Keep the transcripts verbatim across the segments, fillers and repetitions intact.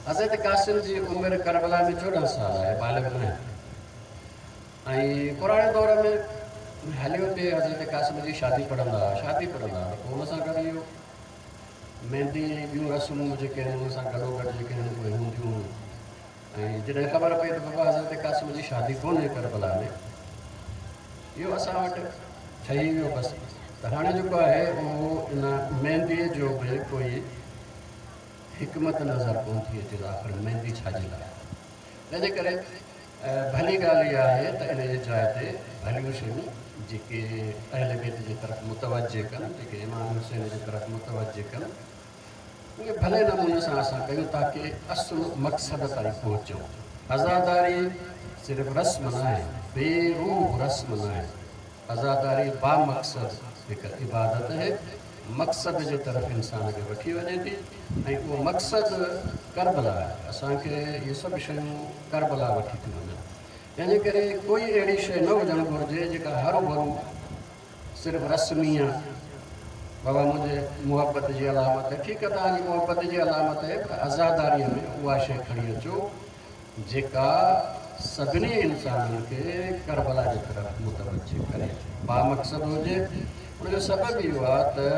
حضرت قاسم جي عمر ڪربلا ۾ چوڏهن سال آهي، بالغ نه آهي. ۽ پراڻي دور ۾ هليو پئي حضرت قاسم جي شادي پڙهندا هئا، شادي پڙهندا هئا ته پوء ان سان گڏ اهو مهندي ۽ ٻيون رسمون جيڪي آهن ان سان گڏو گڏ جيڪي آهن اهي هونديون هيون. ۽ جڏهن خبر پئي ته بابا حضرت قاسم جي شادي ڪونهي ڪربلا ۾، اهو اسان وٽ ٺهي ويو بس. ته هاڻي جيڪو آهي اهو ان مهنديء جو به ڪوئي حڪمت نظر ڪونه ٿي اچي ته آخر مهندي ڇا جي لاء. تنهنجي ڪري ڀلي ڳالهه اها آهي ته ان جي جاء تي ڀليون شيون جيڪي اهل بيت جي طرف متوجه ڪن، جيڪي امام حسين جي طرف متوجه ڪن، اهي ڀلي نموني سان اسان ڪيون تاڪه اصل مقصد تائين پهچون. عزاداري صرف رسم ناهي، بي روح رسم ناهي. عزاداري بامقصد هڪ عبادت آهي، مقصد جي طرف انسان کي وٺي وڃي ٿي ۽ اهو مقصد ڪربلا آهي. اسان کي اهي سڀ شيون ڪربلا وٺي ٿيون وڃن. تنهنجي ڪري ڪوئي اهڙي شيء نه هجڻ گهرجي جيڪا هروڀرو صرف رسمي آهي. بابا منهنجي محبت جي علامت آهي، ٺيڪ آهي توهان جي محبت جي علامت آهي، پر عزاداريء ۾ اها شيء کڻي اچو جيڪا سڀني انسانن کي ڪربلا جي طرف متوجه ڪري، بامقصد هجي. ان جو سبب اهو آهي ته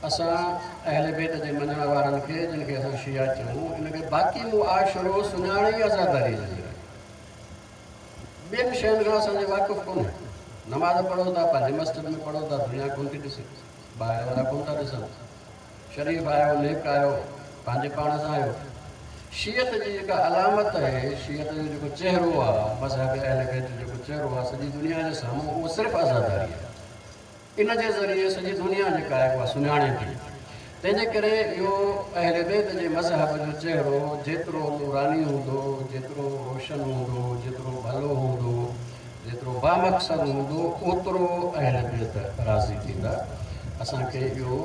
اسان اهل بيت جي مڃڻ وارن کي، جن کي اسان شيعا چئون، ان کي باقي معاشرو سڃاڻي ئي عزاداريء جي ذريعي. ٻين شين کان اسان جي واقف ڪونهي. نماز پڙهو ٿا، پنهنجي مسجد ۾ پڙهو ٿا، دنيا ڪونه ٿي ڏسي، ٻاهر وارا ڪونه ٿا ڏسن. شريف آهيو، نيڪ آهيو، پنهنجي پاڻ سان آهيو. شيعت جي جيڪا علامت آهي، شيعت جو جيڪو چهرو آهي، مذهب اهل بيت جو جيڪو چهرو آهي سڄي دنيا جي سامهون، اهو صرف عزاداري آهي. ان جي ذريعي سڄي دنيا جيڪا آهي اها سڃاڻي ٿي. تنهنجي ڪري اهو اهل بيت جي مذهب جو چهرو جيترو نوراني هوندو، جيترو روشن هوندو، جيترو ڀلو هوندو، جيترو بامقصد هوندو، اوترو اهل بيت راضي ٿيندا. اسان کي اهو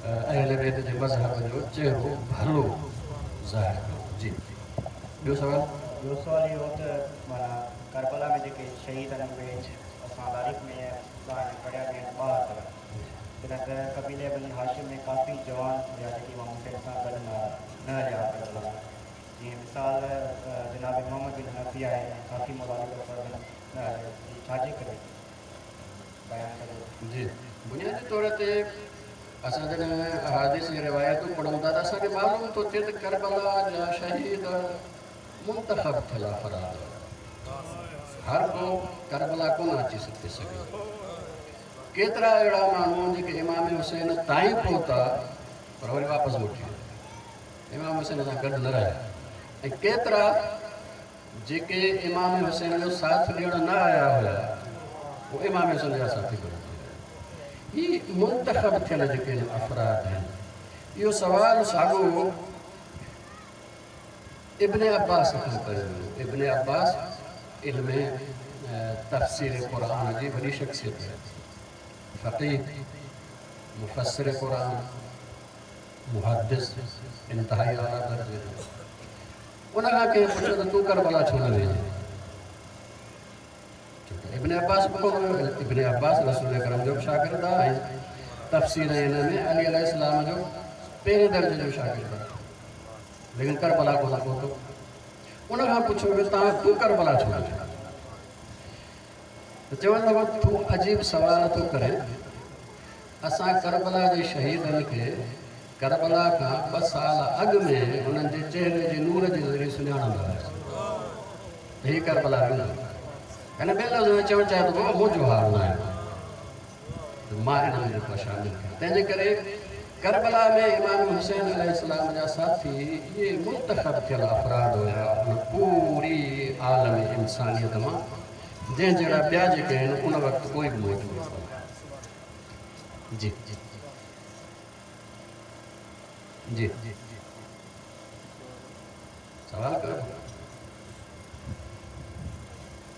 اهل بيت جي مذهب جو چهرو ڀلو ظاهر ڪرڻو. جي ٻيو سوال؟ ٻيو سوال اهو ته معنيٰ ڪربلا ۾ جيڪي شهيد آهن اهي اسان تاريخ ۾ ٻاهر پڙهيا به آهن ٻاهتر، جڏهن ته قبيلي بني هاشم ۾ ڪافي جوان هيا جيڪي امام حسين سان گڏ نه نه هليا ڪربلا ۾، جيئن مثال جناب محمد بن حنفيه آهي ۽ ڪافي مولا علي جا فرزند نه هليا، هي ڇا جي ڪري بيان ڪجو. جي بنيادي طور تي اسان جڏهن احاديث ۽ روايتون پڙهون ٿا ته اسان کي معلوم ٿو ٿئي ته ڪربلا جا شهيد منتخب ٿيل افراد هئا. هر ڪو ڪربلا ڪونه اچي سگهي سگهيو. ڪيترا اهڙا ماڻهو جيڪي امام حسين تائين پهتا پر وري واپس موٽي ويا، امام حسين سان گڏ نه رهيا، ۽ ڪيترا جيڪي امام حسين جو ساٿ ڏيڻ نه آيا هيا اهي امام حسين جا ساٿي بڻجي ويا. هي منتخب ٿيل جيڪي افراد آهن، اهو سوال ساڳو ابن عباس کان ڪيو ويو. ابن عباس علم تفسير قرآن جي وڏي شخصيت آهي، فقيه، مفسر قرآن، محدث، انتهائي اعليٰ درجي جو. ان کان ڪنهن پڇيو ته تون ڪربلا ڇو نه وئين؟ ڇو ته ابن عباس به ڪونه ويو. ابن عباس رسول اڪرم جو به شاگرد آهي ۽ تفسير ۽ ان ۾ علي عليه السلام جو پهرين درجي جو شاگرد آهي، ليڪن ڪربلا ڪونه پهتو. ان کان پڇيو ويو تان تون ڪربلا ڇو نه ويو؟ ته چوڻ لڳو تون عجيب سوال ٿو ڪرين، اسان ڪربلا جي شهيدن کي ڪربلا کان ٻه سال اڳ ۾ انهن جي چهري جي نور جي ذريعي سڃاڻندا هياسين ته هي ڪربلا ويندو. يعني ٻين لفظن ۾ چوڻ چاهي ٿو بابا منهنجو حال نه آهي ته مان انهن ۾ جيڪو شامل ٿيان. تنهنجي ڪري ڪربلا ۾ امام حسين عليه السلام جا ساٿي اهي منتخب ٿيل افراد هيا ان پوري عالم انسانيت مان، جنهن جهڙا ٻيا جيڪي آهن ان وقت ڪوئي به موجود ڪونه. جي جي سوال ڪيو،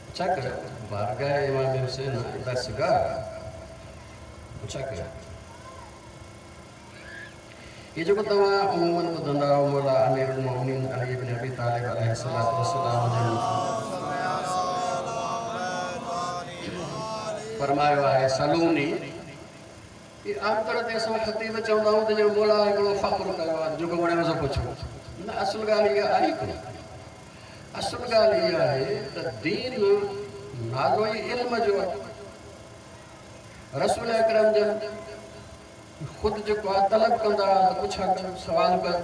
پڇا ڪيو، بارگاह امام حسين درسگاह، پڇا ڪيو. هي جيڪو توهان عموماً ٻڌندا آهيو مولا امير المؤمنين علي بن ابي طالب عليه الصلوة والسلام جن فرمايو آهي سلوني، هي عام طور تي اسان خطيب چوندا آهيون ته ڄڻ مولا هڪڙو فخر ڪيو آهي جيڪو وڻيو سو پڇو. نه، اصل ڳالهه اها آهي ڪونه. اصل ڳالهه اها آهي ته دين نالو ئي علم جو آهي. رسول اڪرم جن خود جيڪو آهي طلب ڪندا هئا ته پڇا ڪر، سوال ڪر،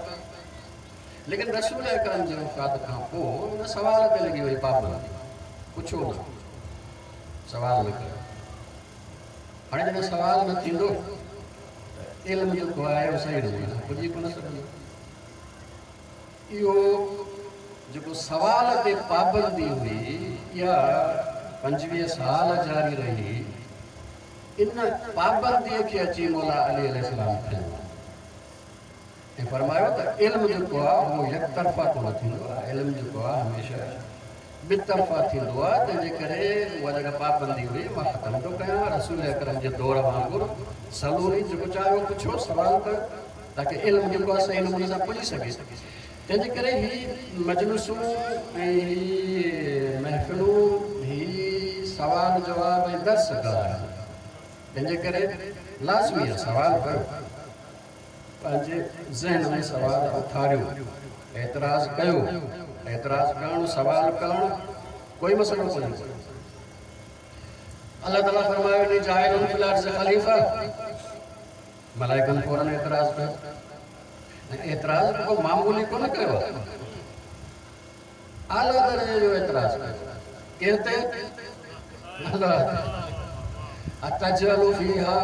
ليڪن رسول اڪرم جي وفات کان پوءِ ان سوال تي لڳي وئي پابندي، پڇو نه، سوال نه ڪيو. هاڻي جڏهن سوال نه ٿيندو ته علم جيڪو آهي اهو صحيح نموني سان پڄي ڪونه سگهندو. اهو جيڪو سوال تي پابندي هئي اها پنجويهه سال جاري رهي. ان پابنديءَ کي اچي مولا علي عليه السلام کنيو ۽ فرمايو ته علم جيڪو آهي اهو يڪ طرفا ڪونه ٿيندو آهي، علم جيڪو آهي هميشه ٻه طرفا ٿيندو آهي. تنهن جي ڪري اها جيڪا پابندي هئي مان ختم ٿو ڪيان. رسول اڪرم جي دور وانگر سلوني جيڪو چاهيو پڇو، سوال ڪيو، تاڪه علم جيڪو آهي صحيح نموني سان پڄي سگهي. تنهن جي ڪري هي مجلسون ۽ هي محفلون، هي سوال جواب ۽ درس گاهه آهن. تنهن جي ڪري لازمي آهي سوال ڪيو، پنهنجي ذهن ۾ سوال اٿاريو، اعتراض ڪيو. اعتراض ڪرڻ، سوال ڪرڻ ڪوئي مسئلو ڪونهي. الله تعاليٰ فرمايو إني جاعل في الأرض خليفة، ملائڪن فورن اعتراض ڪيو. ۽ اعتراض ڪو معمولي ڪونه ڪيو آهي، اعليٰ درجي جو اعتراض ڪيو. ڪنهن تي؟ الله تي. أتجعل فيها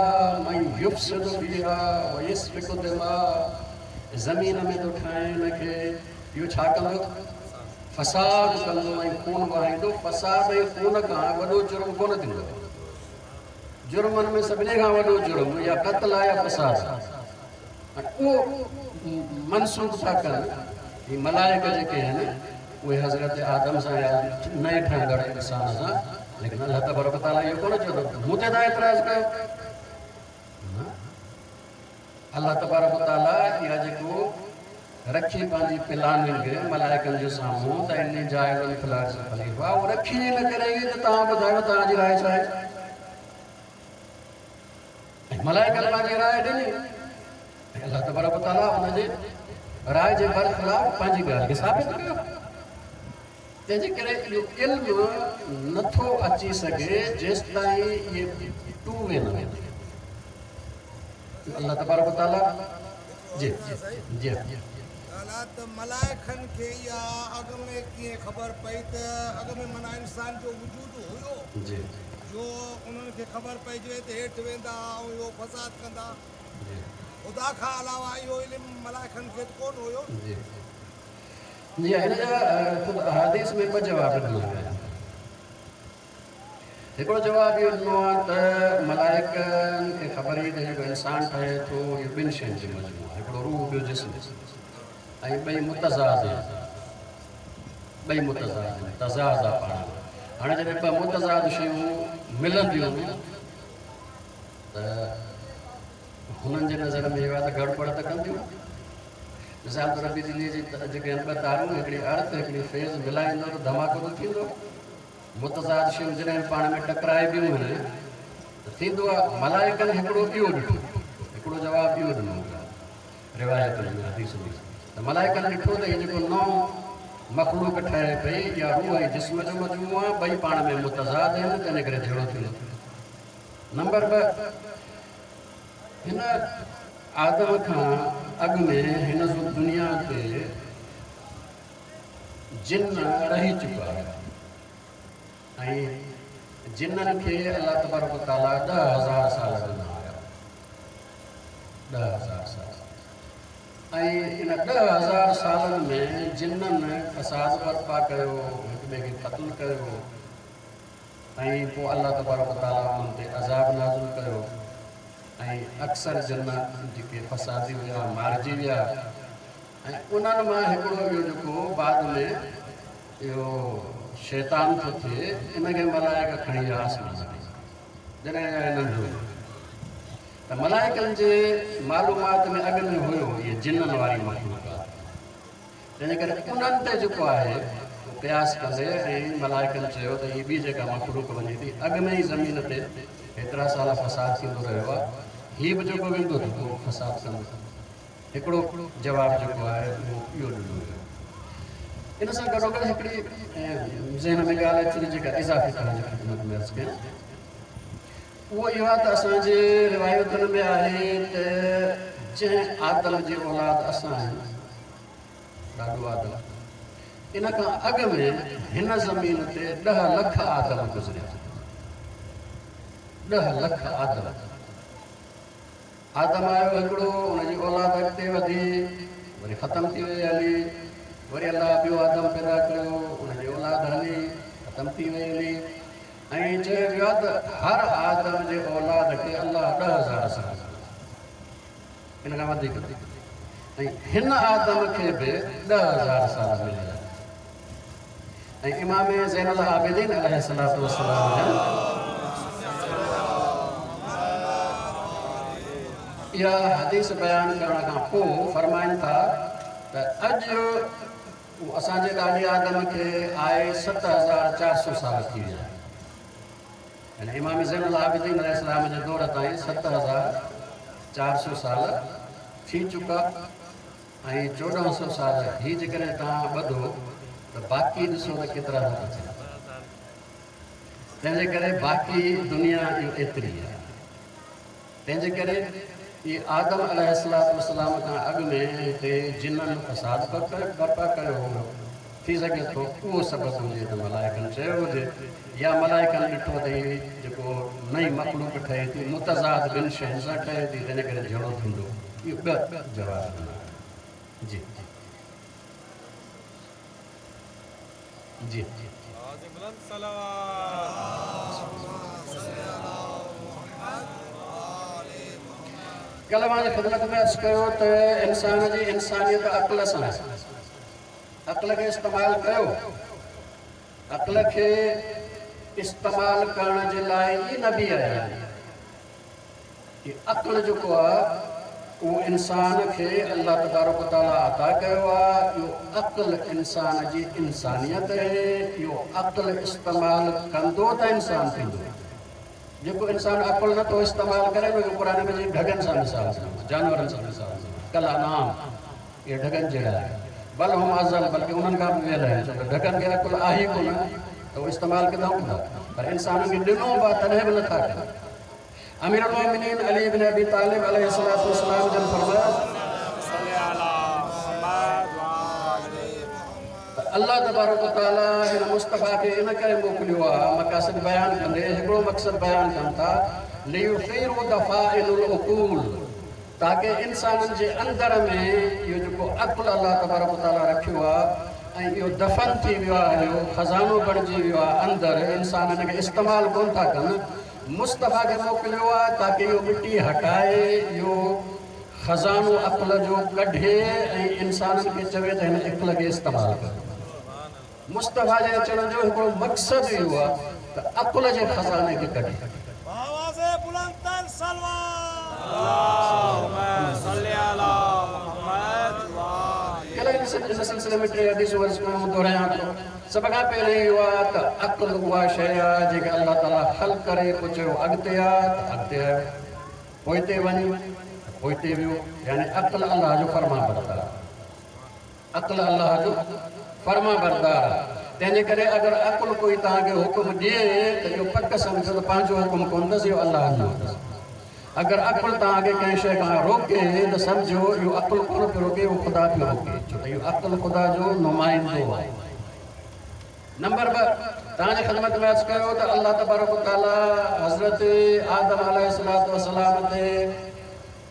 من يفسد فيها ويسفك الدماء، زمين ۾ ٿو ٺاهين هن کي، اهو ڇا ڪندو؟ فساد ڪندو ۽ خون وهائيندو. فساد ۽ خون کان وڏو جرم ڪونه ٿيندو. جرمن ۾ سڀني کان وڏو جرم يا قتل آهي يا فساد آهي. ۽ اهو منسوب ٿا ڪن هي ملائڪ جيڪي آهن اهي حضرت آدم سان يا نئين ٺهندڙ انسان سان. ليڪن الله تبارڪ تعاليٰ اهو ڪونه چيو ته مون تي توهان اعتراض ڪيو. نه، الله تبارڪ تعاليٰ اها جيڪو رکي پنهنجي پلاننگ ملائڪن جي سامهون ته إني جاعل في الأرض خليفة، اهو رکي ان ڪري ته توهان ٻڌايو توهان جي راءِ ڇا آهي. ۽ ملائڪن پنهنجي راءِ ڏني ۽ الله تبارڪ تعاليٰ ان جي راءِ جي برخلاف پنهنجي ڳالهه کي ثابت ڪيو. تنهن جي ڪري اهو علم نٿو اچي سگهي جيستائين اهي ٽو وي نه ويندو. الله تبارڪ تعاليٰ جي جي ڳالهه ته ملائڪن کي اها اڳ ۾ ڪيئن خبر پئي ته اڳ ۾ معنيٰ انسان جو وجود هيو، جي جو انهن کي خبر پئجي وئي ته هيٺ ويندا ۽ اهو فساد ڪندا؟ جي. خدا کان علاوه اهو علم ملائڪن کي ته ڪونه هيو. جي جي، هن جا خود احاديث ۾ ٻه جواب ڏنا ويا آهن. هڪڙو جواب اهو ڏنو آهي ته ملائڪن کي خبر ئي ته جيڪو انسان ٺهي ٿو اهو ٻن شين جو مجموعو آهي، هڪڙو روح ٻيو جسم، ۽ ٻئي متضاد آهن، ٻئي متضاد آهن، تضاد آهي پاڻ ۾. هاڻي جڏهن ٻه متضاد شيون ملنديون ته هنن جي نظر ۾ اهو آهي ته گڙٻڙ ته ڪنديون. مثال طور بجليءَ جي جيڪي آهن ٻه تارون، هڪڙي ارٿ هڪڙي فيز، ملائيندو ته ڌماڪو ته ٿيندو. متضاد شيون جڏهن پاڻ ۾ ٽڪرائبيون آهن ته ٿيندو آهي. ملائڪن هڪڙو اهو ڏٺو، هڪڙو جواب اهو ڏنو روايتن ۾، حديث ۾، ته ملائڪن ڏٺو ته هيءَ جيڪو نئون مخلوق ٺهي پئي اها روح ۽ جسم جو مجموعو آهي، ٻئي پاڻ ۾ متضاد آهن، تنهن ڪري جهيڙو ٿيندو. نمبر ٻه، هن آدم کان اڳ ۾ هن دنيا تي جن رهي چڪا هئا ۽ جنن کي الله تبارڪ تعاليٰ ڏهه هزار سال ڏنا هئا، ڏهه هزار سال. ۽ ان ڏهه هزار سالن ۾ جنن فساد برپا ڪيو، هڪ ٻئي کي قتل ڪيو ۽ پوءِ الله تبارڪ تعاليٰ انهن تي عذاب نازل ڪيو ۽ اڪثر جن جيڪي فسادي هئا مارجي ويا. ۽ انهن مان هڪڙو اهو جيڪو بعد ۾ اهو شيطان ٿو ٿئي، ان کي ملائڪ کڻي ويا آسمان تي جڏهن ننڍو. ته ملائڪن جي معلومات ۾ اڳ ۾ هيو اهي جنن واري مخلوق آهي، تنهن جي ڪري انهن تي جيڪو آهي قياس ڪندي ۽ ملائڪن چيو ته هيءَ ٻي جيڪا مخلوق وڃي ٿي، اڳ ۾ ئي زمين تي هيترا سال فساد ٿيندو رهيو آهي، هيءَ به جيڪو ويندو ته پوءِ فساد ڪندو. हिकिड़ो जवाबु जेको आहे उहो इहो ॾिनो वियो। इन सां गॾोगॾु हिकिड़ी ज़हन में ॻाल्हि अची थी जेका इज़ाफ़ी तव्हांजी ख़िदमत में अर्ज़ु कयां, उहो इहो आहे त असांजे रिवायतुनि में आहे त जंहिं आदम जे औलाद असां आहियूं, ॾाढो आदम, इन खां अॻु में हिन ज़मीन ते ॾह लख आदम गुज़रिया, ॾह लख आदम। आदम आयो हिकिड़ो, उनजी औलाद अॻिते वधी, वरी ख़तमु थी वई हली, वरी अलाह ॿियो आदम पैदा कयो, उनजी औलाद हली ख़तमु थी वई हली। ऐं चयो वियो आहे त हर आदम जे औलाद खे अलाह ॾह हज़ार साल, इन खां वधीक, ऐं हिन आदम खे बि ॾह हज़ार साल मिलिया। ऐं इमाम ज़ैनुल आबिदीन अलैहिस्सलातु वस्सलाम जन इहा हदीस बयानु करण खां पोइ फरमाइनि था त अॼु असांजे ॾाॾे आदम खे आहे सत हज़ार चारि सौ साल थी विया। यानी इमाम ज़ैनुल आबिदीन अलैहिस्सलाम जे दौर ताईं सत हज़ार चारि सौ साल थी चुका ऐं चोॾहं सौ साल ही जेकॾहिं तव्हां ॿधो त बाक़ी ॾिसो त केतिरा था थियनि। तंहिंजे करे बाक़ी दुनिया इहो एतिरी आहे। तंहिंजे करे इहे आदम अलैहिस्सलातु वस्सलाम खां अॻु में हिते जिननि फसाद बर्पा कयो हो, थी सघे थो उहो सबबु हुजे त मलाइकनि चयो हुजे या मलाइकनि ॾिठो त हीअ जेको नई मख़लूक ठहे थी मुतज़ाद ॿिनि शयुनि सां ठहे थी, तंहिंजे करे झेड़ो थींदो। इहो ॿ जवाब ॾिना। जी जी कल्ह मां ख़िदमत में अर्ज़ु कयो त इंसान जी इंसानियत अक़ल सां, अक़ल खे इस्तेमालु कयो। अक़ल खे इस्तेमालु करण जे लाइ ई नबी आया आहिनि। अक़ल जेको आहे उहो इंसान खे अलाह तबारक तआला अता कयो आहे। इहो अक़ल इंसान जी इंसानियत आहे। इहो अक़ल इस्तेमालु कंदो त इंसान थींदो। जेको इंसान अक़ल नथो इस्तेमालु करे, उनखे क़ुर में ढॻनि सां मिसाल ॾिनो, जानवरनि सां मिसाल ॾिनो, कल अनाम, इहे ढॻनि जहिड़ा आहिनि, बल हुम अज़ल, बल्कि उन्हनि खां बि वियल आहिनि। छो त ढॻनि खे अक़ुलु आहे ई कोन त उहो इस्तेमालु किथां कंदा? पर इंसाननि खे ॾिनो बि आहे तॾहिं बि नथा कनि। अमीर उल-मोमिनीन अली इब्न अबी तालिब अलैहिस्सलातु वस्सलाम जन फरमायो अलाह तबारक तआला हिन मुस्तफ़ा खे इन करे मोकिलियो आहे, मक़ासिद बयानु कंदे हिकिड़ो मक़सदु बयानु कनि था, लियुसीरू दफ़ाइनुल उक़ूल, ताकि इंसाननि जे अंदर में इहो जेको अक़ुलु अलाह तबारक तआला रखियो आहे ऐं इहो दफ़न थी वियो आहे, इहो ख़ज़ानो बणिजी वियो आहे अंदरि, इंसान हिन खे इस्तेमालु कोन था कनि। मुस्तफ़ा खे मोकिलियो आहे ताकि इहो मिटी हटाए, इहो ख़ज़ानो अक़ल जो कढे ऐं इंसाननि खे चवे त हिन अक़ल खे इस्तेमालु कयो। मुस्तफ़ा जे अचण जो हिकिड़ो मक़सदु इहो आहे त अक़ल जे ख़ज़ाने खे कढे। इन सिलसिले में टे हदीसूं अर्ज़ु कयूं, दोहरायां थो। सभ खां पहिरियों इहो आहे त अक़ल उहा शइ आहे जेका अलाह ताला ख़ल्क करे पोइ चयो अॻिते आहे त अॻिते आयो, पोइते वञ पोइते वियो। यानी अक़ल अलाह जो फरमा बरदार, अक़ल अलाह जो फरमा बरदार आहे। तंहिंजे करे अगरि अक़ुलु कोई तव्हांखे हुकुम ॾिए त इहो पक सम्झो त पंहिंजो हुकुम कोन अथसि, इहो अलाह जो अथसि। अगरि अक़ुलु तव्हांखे कंहिं शइ खां रोके त सम्झो इहो अक़ुलु कोन पियो रोके, उहो ख़ुदा पियो रोके, छो त इहो अक़ुलु ख़ुदा जो नुमाइंदो आहे। नंबर ॿ, तव्हांजे ख़िदमत में अर्ज़ु कयो त अलाह तबारक तआला हज़रत आदम अलैहिस्सलातु वस्सलाम ते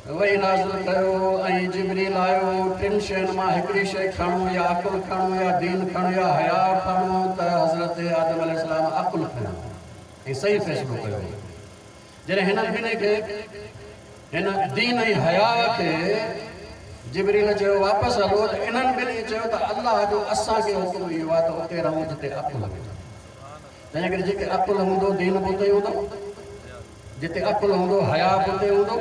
वही नाज़िल कयो ऐं जिब्रील आयो, टिनि शयुनि मां हिकिड़ी शइ खणो, या अक़ुलु खणो या दीन खणो या हया खणो, त हज़रत आदम अलैहिस्सलाम अक़ुलु खयो ऐं सही फ़ैसिलो कयो। जॾहिं हिननि ॿिन्ही खे, हिन दीन ऐं हया खे जिब्रील चयो वापसि हलो, त इन्हनि ॿिन्ही चयो त अलाह जो असांखे हुकुम इहो आहे त उते रहूं जिते अक़ुलु हुजे। तंहिंजे करे जेके अक़ुलु हूंदो दीन बि उते हूंदो, जिते अक़ुलु हूंदो हया बि उते हूंदो।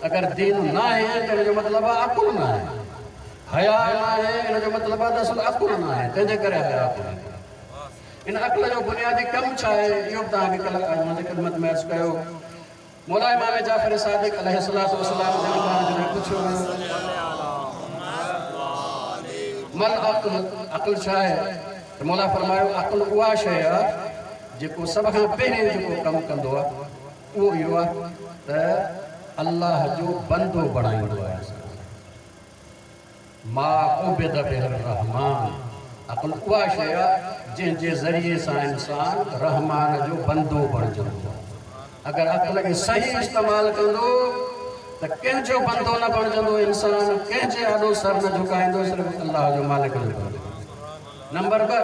अगरि दीन न आहे त हिनजो मतिलबु आहे अक़ुलु न आहे, हया न आहे हिनजो मतिलबु आहे त असुलु अक़ुलु न आहे, तंहिंजे करे हया कोन्हे। इन अक़ल जो बुनियादी कमु छा आहे, इहो बि तव्हांखे कल्ह मुंहिंजी ख़िदमत में अर्ज़ु कयो। मौला इमाम जाफ़र सादिक अलैहिस्सलातु वस्सलाम जन खां जॾहिं पुछियो वियो مل عقل، عقل ڇا آهي؟ ته مولا فرمايو عقل اها شيء آهي جيڪو سڀ کان پهرين جيڪو ڪم ڪندو آهي اهو اهو آهي ته الله جو بندو بڻائيندو آهي انسان. ما عبد به الرحمان، عقل اها شيء آهي جنهن جي ذريعي سان انسان رحمان جو بندو بڻجندو آهي. اگر عقل کي صحيح استعمال ڪندو ته ڪنهن جو بندو نه بڻجندو انسان، ڪنهن جي آڏو سر نه جهڪائيندو، صرف الله جو مالڪ جو بندو. نمبر ٻه،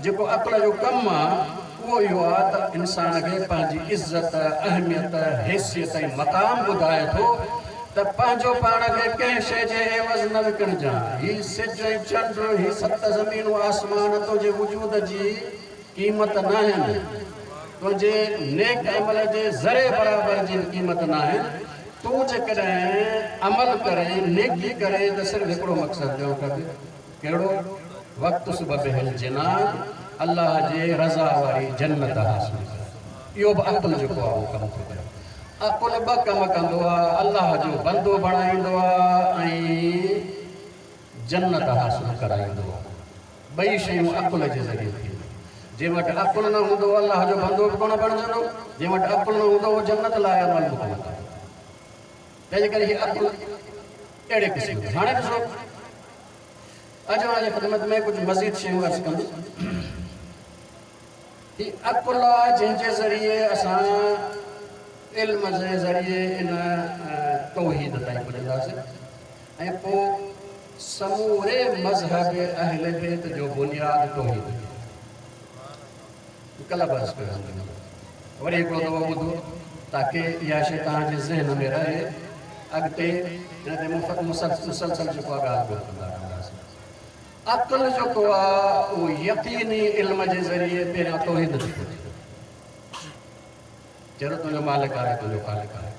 جيڪو عقل جو ڪم آهي اهو اهو آهي ته انسان کي پنهنجي عزت، اهميت، حيثيت ۽ مقام ٻڌائي ٿو ته پنهنجو پاڻ کي ڪنهن شيءِ جي عيوض نه وڪڻجان. هي سج ۽ چنڊ، هي ست زمينون آسمان تنهنجي وجود جي قيمت نه آهن، تنهنجي نيڪ عمل جي ذري برابر جي قيمت نه آهن. تون جيڪڏهن عمل ڪري، نيڪي ڪري ته صرف هڪڙو مقصد ڏيڻ کپي. ڪهڙو؟ وقت صبح بهل جنان، الله جي رضا واري جنت حاصل ڪر. اهو به عقل جيڪو آهي اهو ڪم ٿو ڪري. عقل ٻه ڪم ڪندو آهي، الله جو بندو بڻائيندو آهي ۽ جنت حاصل ڪرائيندو آهي. ٻئي شيون عقل جي ذريعي ٿينديون. جنهن وٽ عقل نه هوندو الله جو بندو به ڪونه بڻجندو، جنهن وٽ عقل نه هوندو اهو جنت لاءِ عمل به ڪونه ڪندو. تنهن جي ڪري هيءُ عقل اهڙي قسم جو. هاڻي ڏسو، اڄ اوهان جي خدمت ۾ ڪجهه مزيد شيون عرض ڪندس. هيءُ عقل آهي جنهن جي ذريعي اسان علم جي ذريعي ان توحيد تائين پڄنداسين ۽ پوءِ سموري مذهب اهل بيت جو بنياد توحيد. ڪلهه به عرض ڪيو، وري هڪڙو دفعو ٻڌو تاڪه اها شيءِ توهان جي ذهن ۾ رهي. اڳتي هن تي مسلسل جيڪو آهي ڳالهه ٻولهه ڪندا رهنداسين. عقل جيڪو آهي اهو يقيني علم جي ذريعي پهريان توحيد تي پهچي. چهرو تنهنجو مالڪ آهي، تنهنجو خالق آهي.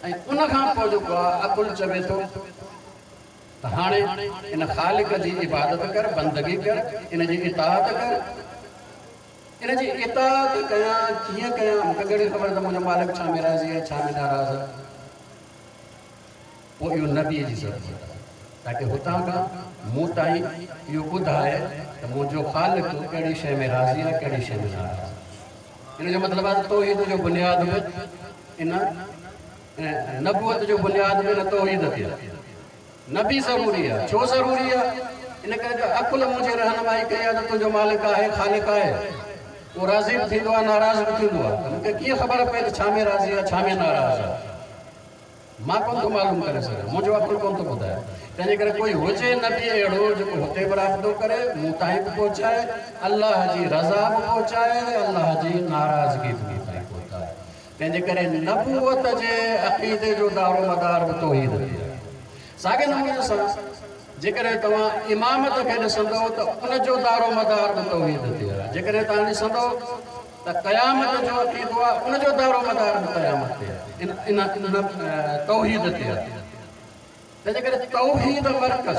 ۽ ان کان پوءِ جيڪو آهي عقل چوي ٿو ته هاڻي ان خالق جي عبادت ڪر، بندگي ڪر، ان جي اطاعت ڪر. ان جي اطاعت ڪيان ڪيئن ڪيان؟ مون کي ڪهڙي خبر ته منهنجو مالڪ ڇا ۾ راضي آهي، ڇا ۾ ناراض آهي. پوءِ اهو نبيءَ جي ضرورت آهي تاڪه هتان کان مون تائين اهو ٻڌائي ته منهنجو خالق ڪهڙي شيءِ ۾ راضي آهي، ڪهڙي شيءِ ۾ ناراض آهي. ان جو مطلب آهي ته توحيد جو بنياد به ان نبوت جو بنياد به ان توحيد تي آهي. نبي ضروري آهي. ڇو ضروري آهي؟ ان ڪري جو عقل منهنجي رهنمائي ڪئي آهي ته تنهنجو مالڪ آهي، خالق آهي، اهو راضي به ٿيندو آهي، ناراض به ٿيندو آهي. ته مون کي ڪيئن خبر پئي ته ڇا ۾ راضي آهي، ڇا ۾ ناراض آهي؟ مان ڪونه ٿو معلوم ڪري سگهان، منهنجو عقل ڪونه ٿو ٻڌائي. تنهن جي ڪري ڪوئي هجي نبي اهڙو جيڪو هتي به رابطو ڪري، مون تائين به پهچائي، الله جي رضا به پهچائي، الله جي ناراضگي به مون تائين پهچائي. تنهن جي ڪري نبوت جي عقيدي جو دارو مدار به توحيد تي آهي. ساڳي نموني سان جيڪڏهن توهان امامت کي ڏسندؤ ته ان جو دارو مدار به توحيد تي آهي. جيڪڏهن توهان ڏسندؤ ته قيامت جو عقيدو آهي، ان جو دارو مدار به قيامت تي آهي، ان ان توحيد تي آهي. تنهن جي ڪري توحيد مرڪز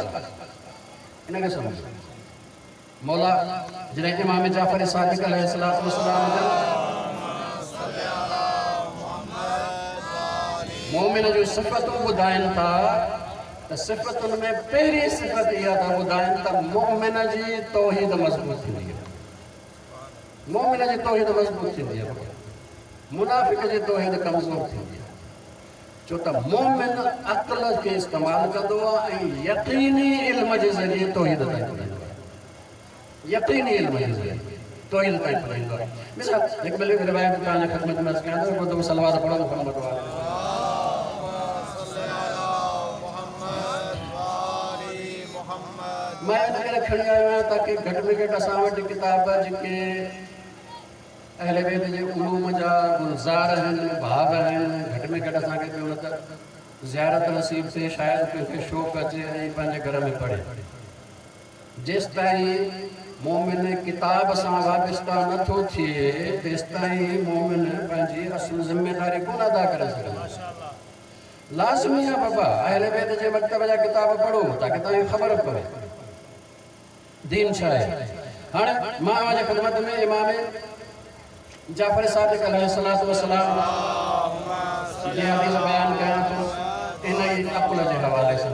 ان کي سمجهو. مولا جڏهن امام جعفر صادق عليه الصلوة والسلام مومن جون صفتون ٻڌائين ٿا ته صفتن ۾ پهرين صفت اها ٿا ٻڌائين ته مومن جي توحيد مضبوط ٿيندي آهي. مومن جي توحيد مضبوط ٿيندي آهي، منافق جي توحيد ڪمزور ٿيندي آهي. ڇو ته مومن عقل کي استعمال ڪندو آهي ۽ يقيني علم جي ذريعي توحيد تائين پڄندو آهي. يقيني علم جي ذريعي توحيد تائين پڄندو آهي. مثال هڪ ٻه روايت توهان جي خدمت ۾ عرض ڪيان ٿو. هڪ دفعو صلوات پڙهو محمد واري. مان ان ڪري کڻي آيو آهيان تاڪه گهٽ ۾ گهٽ اسان وٽ ڪتاب جيڪي اهل بيت جي علوم جا گلزار آهن، ڀاو آهن، گهٽ ۾ گهٽ اسان کي پيو نه ته زيارت نصيب ٿئي، شايد ڪنهن کي شوق اچي ۽ پنهنجي گهر ۾ پڙهي. جيس تائين مومن ڪتاب سان وابسته نٿو ٿئي تيس تائين مومن پنهنجي اصل ذميداري ڪونه ادا ڪري سگهندو. لازمي آهي بابا اهل بيت جي مڪتب جا ڪتاب پڙهو تاڪه توهان کي خبر پوي دين ڇا آهي. هاڻي مان اوهان جي خدمت ۾ امام جعفر صادق عليه الصلوة والسلام جي حديث بيان ڪيان ٿو ان ئي عقل جي حوالي سان.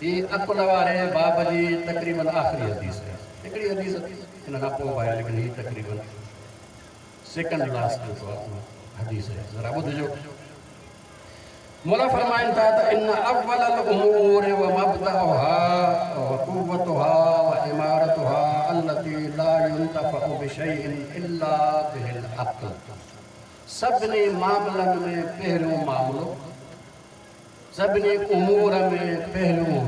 هي عقل واري باب جي تقريبن آخري حديث آهي. هڪڙي حديث ان کان پوءِ به آهي، ليڪن هي تقريبن سيڪنڊ لاسٽ جيڪو آهي حديث آهي. ذرا ٻڌجو. مولا فرمائن ٿا ته ان اول الامور ومبدأها وقوتها وعمارتها التي لا ينتفع بشيء الا به العقل. سڀني معاملن ۾ پهريون معاملو، سڀني امور ۾ پهريون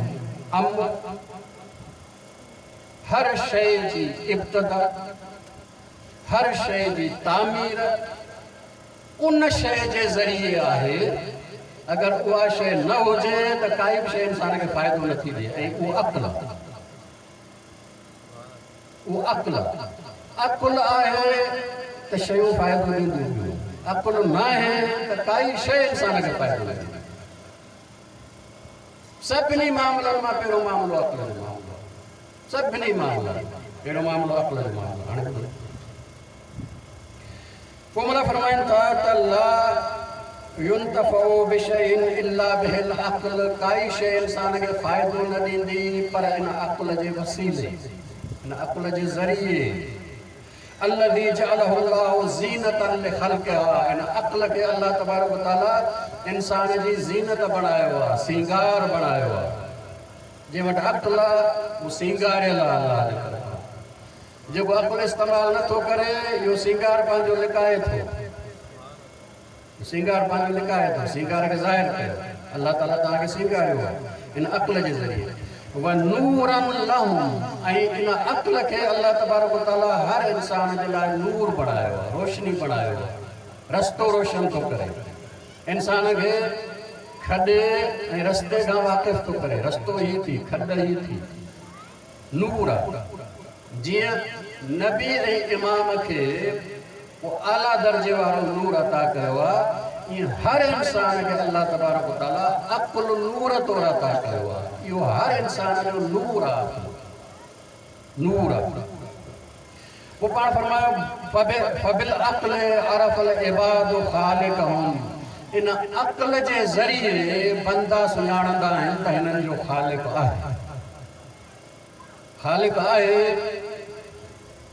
امر، هر شيءِ جي ابتدا، هر شيءِ جي تعمير ان شيءِ جي ذريعي آهي. اگر اها شيءِ نه هجي ته ڪائي به شيءِ انسان کي فائدو نٿي ڏئي. ۽ اهو عقل آهي، اهو عقل آهي. عقل آهي ته شيون فائدو ڏينديون پيون، عقل نه آهي ته ڪائي شيءِ انسان کي فائدو نه ڏيندي. سڀني معاملن مان پهريون معاملو عقل جو معاملو آهي. سڀني معاملن پهريون معاملو عقل جو معاملو. هاڻي ٻڌو، پوءِ مولا فرمائن ٿا ته لا ينتفع بشيء الا به العقل. ڪائي شيءِ انسان کي فائدو نه ڏيندي پر ان عقل جي وسيلي، ان عقل جي ذريعي. الذي جعله الله زينة لخلقها. ان عقل کي الله تبارڪ وتعاليٰ انسان جي زينت بڻايو آهي، سينگار بڻايو آهي. جنهن وٽ عقل آهي اهو سينگاريل آهي الله جي طرفان. جيڪو عقل استعمال نٿو ڪري اهو سينگار پنهنجو لڪائي ٿو، سينگار پنهنجو لڪائي ٿو. سينگار کي ظاهر ڪيو الله تعاليٰ توهان کي سينگاريو آهي ان عقل جي ذريعي. ونورا لهم. ۽ ان عقل کي الله تبارڪ وتعاليٰ هر انسان جي لاءِ نور بڻايو آهي، روشني بڻايو آهي، رستو روشن ٿو ڪري. انسان کي کڏي ۽ رستي کان واقف ٿو ڪري. رستو هي ٿي، کڏ هي ٿي، نور آهي. جيئن نبي ۽ امام کي اهو اعليٰ درجي وارو نور عطا ڪيو آهي، ائين هر انسان کي الله تبارڪ وتعاليٰ عقل نور طور عطا ڪيو آهي. اهو هر انسان جو نور آهي، نور آهي. پوءِ پاڻ فرمايو فبالعقل عرف العباد خالقهم. ان عقل جي ذريعي بندا سڃاڻندا آهن ته هنن جو خالق آهي. خالق آهي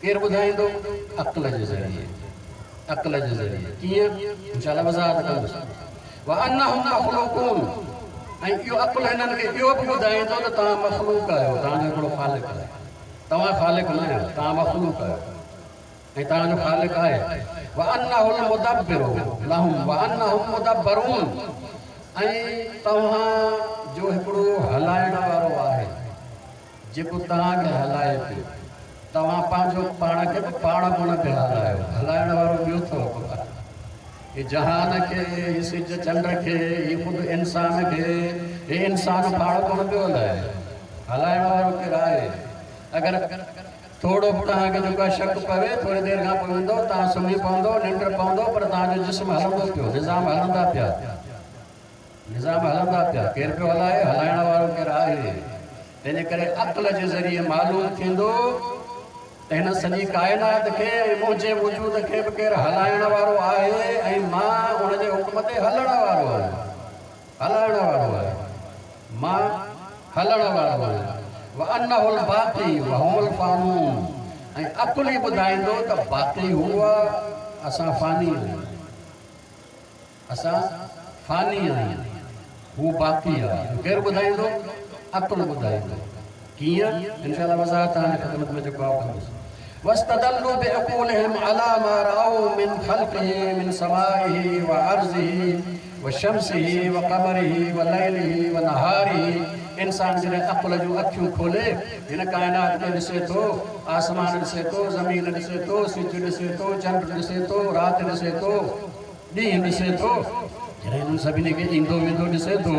ڪير ٻڌائيندو؟ عقل جي ذريعي، عقل جي ذريعي. ڪيئن؟ انشاء الله وضاحت ڪندس. وانهم مخلوقون. ۽ اهو عقل هنن کي اهو به ٻڌائيندو ته توهان مخلوق آهيو، توهان جو هڪڙو خالق آهي. توهان خالق نه آهيو، توهان مخلوق آهيو ۽ توهان جو خالق آهي. وانه المدبر لهم وانهم مدبرون. ۽ توهان جو هڪڙو هلائڻ وارو آهي جيڪو توهان کي هلائي پيو. توهان پنهنجو پاڻ کي به پاڻ ڪونه پيا هلايو، هلائڻ وارو ٻيو اٿو. هي جهان کي، هي سج چنڊ کي، هي خود انسان کي، هي انسان پاڻ ڪونه پيو هلائي، هلائڻ وارو ڪير آهي؟ اگر ٿورو به توهان کي جيڪو آهي شڪ پوي، ٿوري دير کان پوءِ ويندو، توهان سمهي پوندو، ننڊ پوندو، پر توهان جو جسم هلندو پيو، نظام هلندا پيا، نظام هلندا پيا. ڪير پيو هلائي؟ هلائڻ وارو ڪير آهي؟ تنهن جي ڪري عقل جي ذريعي معلوم ٿيندو ته هن سڄي ڪائنات کي ۽ منهنجي وجود کي به ڪير هلائڻ وارو آهي ۽ مان ان جي حڪم تي هلڻ وارو آهيان، هلائڻ وارو آهيان، مان هلڻ وارو آهيان. وانه الباقي وهم الفانون. ۽ عقل ئي ٻڌائيندو ته باقي هو آهي، اسان فاني آهيون، اسان فاني آهيون، هو باقي آهي. ڪير ٻڌائيندو؟ عقل ٻڌائيندو. ڪيئن؟ انشاء الله وضاحت توهان جي خدمت ۾ جيڪو آهي ڪندس. واستدلوا بعقولهم على ما رأوا من خلقه من سمائه وأرضه وشمسه وقمره وليله ونهاره. انسان جڏهن عقل جون اکيون کولي هن ڪائنات کي ڏسي ٿو، آسمان ڏسي ٿو، زمين ڏسي ٿو، سج ڏسي ٿو، چنڊ ڏسي ٿو، رات ڏسي ٿو، ڏينهن ڏسي ٿو، جڏهن هنن سڀني کي ايندو ويندو ڏسي ٿو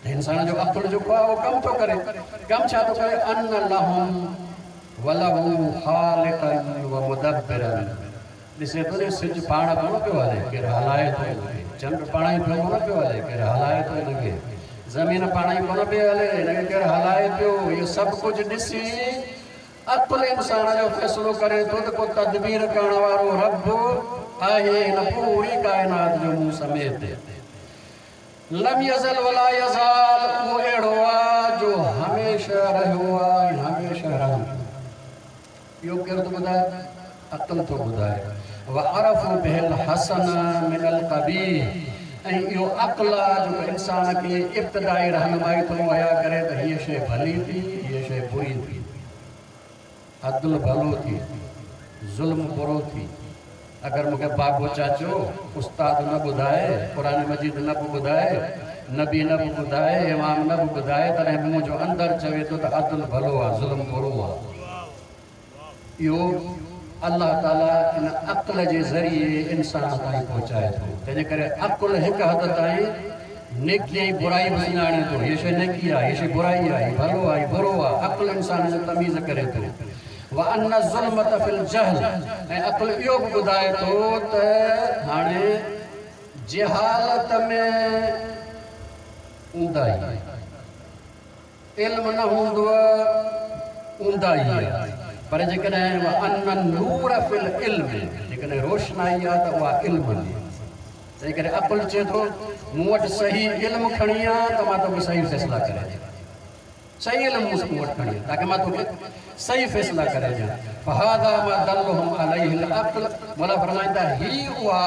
ته انسان جو عقل جيڪو آهي اهو ڪم ٿو ڪري. ڪم ڇا ٿو ڪري؟ ان لهم وله خالقا ومدبرا. ڏسي ٿو ته سج پاڻ ڪونه پيو هلي، ڪير هلائي ٿو هن کي. چنڊ پاڻ ئي پيو ڪونه پيو هلي، ڪير هلائي ٿو هن کي. زمين پاڻ ئي ڪونه پئي هلي، هن کي ڪير هلائي پيو. اهو سڀ ڪجهه ڏسي عقل انسان جو فيصلو ڪري ٿو ته ڪو تدبير ڪرڻ وارو رب آهي هن پوري ڪائنات جو مون سميت. لم يزل ولا يزال اهو اهڙو آهي جو هميشه رهيو آهي ۽ هميشه رهندو. اهو ڪير ٿو ٻڌائي؟ عقل ٿو ٻڌائي. وعرفوا به الحسن من القبيح ۽ اهو عقل آهي جيڪو انسان کي ابتدائي رهنمائي ٿو مهيا ڪري ته هيءَ شيءِ ڀلي ٿي، هيءَ شيءِ بري ٿي، عدل ڀلو ٿي، ظلم برو ٿي. اگر مون کي بابو چاچو استاد نه ٻڌائي، قرآن مجيد نه به ٻڌائي، نبي نه به ٻڌائي، امام نه به ٻڌائي، تڏهن به منهنجو اندر چوي ٿو ته عدل ڀلو آهي، ظلم برو آهي. اهو الله تعاليٰ ان عقل جي ذريعي انسان تائين پهچائي ٿو. تنهن جي ڪري عقل هڪ حد تائين نيڪي ۽ برائي به سڃاڻي ٿو. هيءَ شيءِ نيڪي آهي، هيءَ شيءِ برائي آهي، هيءَ ڀلو آهي، هيءَ برو آهي. عقل انسان جو تميز ڪري ٿو. وأن الظلمة في الجهل ۽ عقل اهو به ٻڌائي ٿو ته هاڻي جهالت ۾ اونداهي، علم نه هوندو اونداهي آهي. پر جيڪڏهن وأن النور في العلم، جيڪڏهن روشنائي آهي ته اها علم ۾. تنهن ڪري عقل چئي ٿو مون وٽ صحيح علم کڻي آ ته مان توکي صحيح فيصلا ڪري ڏيان، صحيح علم مون وٽ کڻي آ تاڪه مان توکي صحيح فيصلا ڪري ڏيان. فهذا ما دلهم عليه العقل. مولا فرمائن ٿا هي اها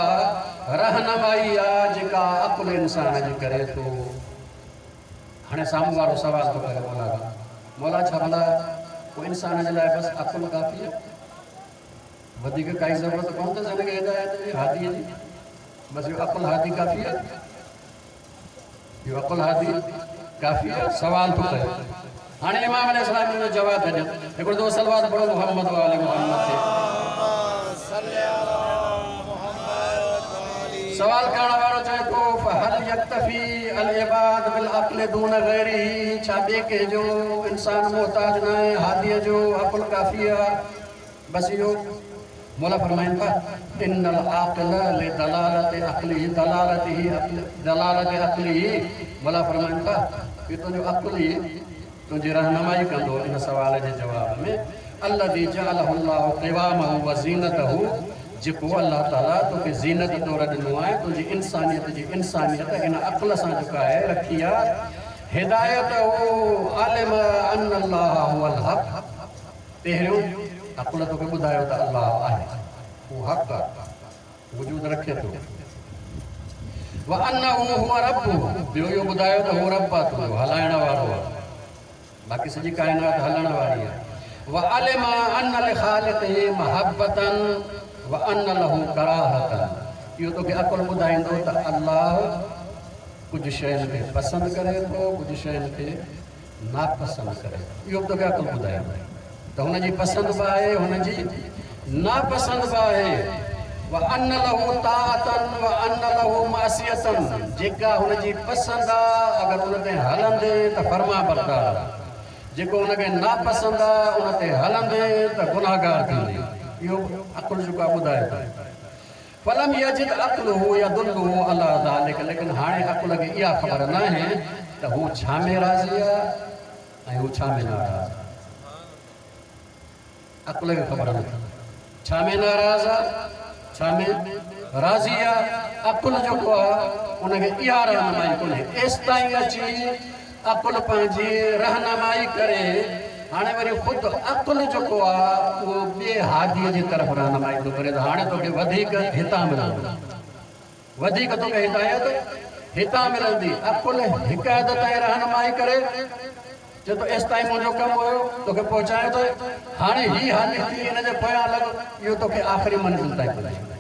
رهنمائي آهي جيڪا عقل انسان جي ڪري ٿو. هاڻي سامهون وارو سوال ٿو ڪري مولا کان، مولا ڇا ڀلا پوءِ انسان جي لاءِ بس عقل ڪافي آهي، وڌيڪ ڪائي ضرورت ڪونه اٿس هن کي هدايت جي، هاديءَ جي؟ بس اهو عقل هادي ڪافي آهي، اهو عقل هادي ڪافي آهي. سوال ٿو ڪري. هاڻي امام عليه السلام جو جواب ٿا ڏين. هڪڙو دفعو صلوات پڙهو محمد وآل محمد تي. سوال ڪرڻ وارو چئي ٿو فهل يڪتفي العباد بالعقل دون غيره، ڇا ٻئي ڪنهن جو انسان محتاج نه آهي؟ هاديءَ جو عقل ڪافي آهي بس اهو. مولا فرمائن ٿا ان العاقل لدلالة عقله، دلالته عقل، دلالة عقله. مولا فرمائن ٿا اهو تنهنجو عقل ئي تنهنجي رهنمائي ڪندو ان سوال جي جواب ۾. الذي جعله الله قوامه وزينته، جيڪو الله تعاليٰ توکي زينت طور ڏنو آهي، تنهنجي انسانيت جي انسانيت ان عقل سان جيڪا آهي رکي آهي. هدايته علم ان الله هو الحق. پهريون عقل توکي ٻڌايو ته الله آهي، اهو حق آهي، وجود رکي ٿو. وأنه هو ربه، ٻيو اهو ٻڌايو ته هو رب آهي تنهنجو، هلائڻ وارو آهي، باقي سڄي ڪائنات هلڻ واري آهي. وعلم أن لخالقه محبة وأن له ڪراهة. اهو توکي عقل ٻڌائيندو ته الله ڪجهه شين کي پسند ڪري ٿو، ڪجهه شين کي ناپسند ڪري ٿو. اهو به توکي عقل ٻڌائيندو ته هن جي پسند به آهي، هن جي ناپسند به آهي. وأن له طاعة وأن له معصية، جيڪا هن جي پسند آهي اگر ان تي هلندي ته فرما بردار آهي، جيڪو هن کي ناپسند آهي ان تي هلندي ته گناهگار ٿيندي. اهو عقل جيڪو آهي ٻڌائي ٿو. فلم يجد عقله يدله على ذلك، ليڪن هاڻي عقل کي اها خبر نه آهي ته هو ڇا ۾ راضي آهي ۽ هو ڇا ۾ ناراض آهي. عقل کي خبر نه ڇا ۾ ناراض آهي، ڇا ۾ راضي آهي. عقل جيڪو آهي ان کي اها رهنمائي ڪونهي. ايستائين اچي عقل پنهنجي رهنمائي ڪري. هاڻي وري خود عقل جيڪو آهي اهو ٻئي هاديءَ جي طرف رهنمائي ٿو ڪري ته هاڻي توکي وڌيڪ هتان ملندو، وڌيڪ توکي هدايت هتان ملندي. عقل هڪ حد تائين رهنمائي ڪري چئي ٿو ايستائين منهنجو ڪم هيو توکي پهچايو ٿو، هاڻي هي هادي ٿي هن جي پويان لڳ، اهو توکي آخري منزل تائين پڄائيندو،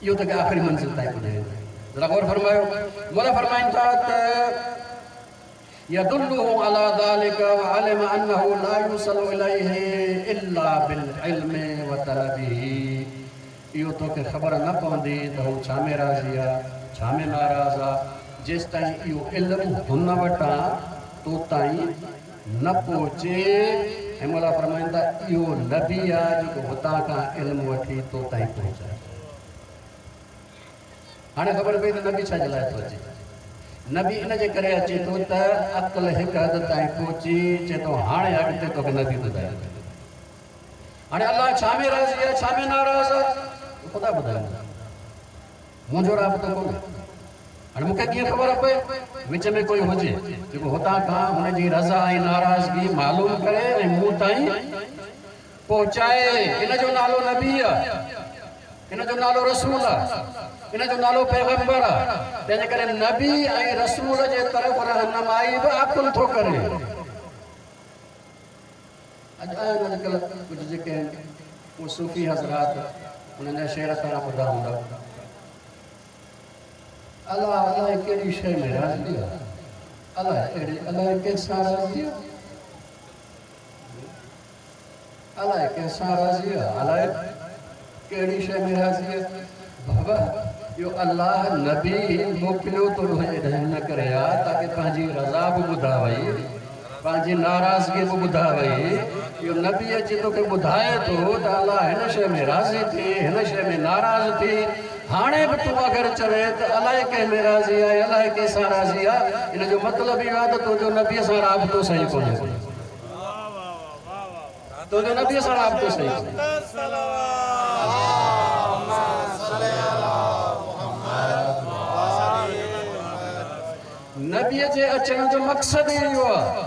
اهو توکي آخري منزل تائين پڄائيندو. ذرا غور فرمايو. مولا فرمائن ٿا ته يدله على ذلك وعلم أنه لا يوصل إليه إلا بالعلم وطلبه. اهو توکي خبر نه پوندي ته هو ڇا ۾ راضي آهي، ڇا ۾ ناراض آهي، جيستائين اهو علم هن وٽان تو تائين نه پهچي. ۽ مولا فرمائن ٿا اهو نبي آهي جيڪو هتان کان علم وٺي تو تائين پهچائي. هاڻي خبر پئي ته نبي ڇا جي لاءِ ٿو اچي. نبي ان جي ڪري اچي ٿو ته عقل هڪ حد تائين پهچي چئي ٿو هاڻي اڳتي توکي نبي ٻڌائي. هاڻي الله ڇا ۾ راضي آهي، ڇا ۾ ناراض آهي، خدا ٻڌائيندو، منهنجو رابطو ڪونهي. هاڻي مون کي ڪيئن خبر پئي؟ وچ ۾ ڪوئي هجي جيڪو هتان کان هن جي رضا ۽ ناراضگي معلوم ڪري ۽ مون تائين پهچائي. ان جو نالو نبي آهي، ان جو نالو رسول آهي، ان جو نالو پيغمبر آهي. تنهن جي ڪري نبي ۽ رسول جي طرف رهنمائي به عقل ٿو ڪري. اڄ آهن اڄڪلهه ڪجهه جيڪي آهن اهي صوفي حضرات، انهن جا شعر توهان ٻڌا هوندا. الله الائي ڪهڙي شيءِ ۾ راضي آهي، الائي اهڙي الائي ڪنهن سان راضي آهي، الائي ڪنهن سان راضي آهي، الائي ڪهڙي شيءِ ۾ راضي آهي. بابا اهو الله نبي موڪليو ٿو هن ڪري آهي تاڪه پنهنجي رضا به ٻڌائي، پنهنجي ناراضگي به ٻڌائي. اهو نبي اچي توکي ٻڌائي ٿو ته الله هن شيءِ ۾ راضي ٿي، هن شيءِ ۾ ناراض ٿي. هاڻي به تون اگر چوي ته الائي ڪنهن ۾ راضي آهي، الائي ڪنهن سان راضي آهي، ان جو مطلب اهو آهي ته تنهنجو نبيءَ سان رابطو صحيح ڪونهي، تنهنجو نبيءَ سان رابطو صحيح ڪونهي. نبيءَ جي اچڻ جو مقصد ئي اهو آهي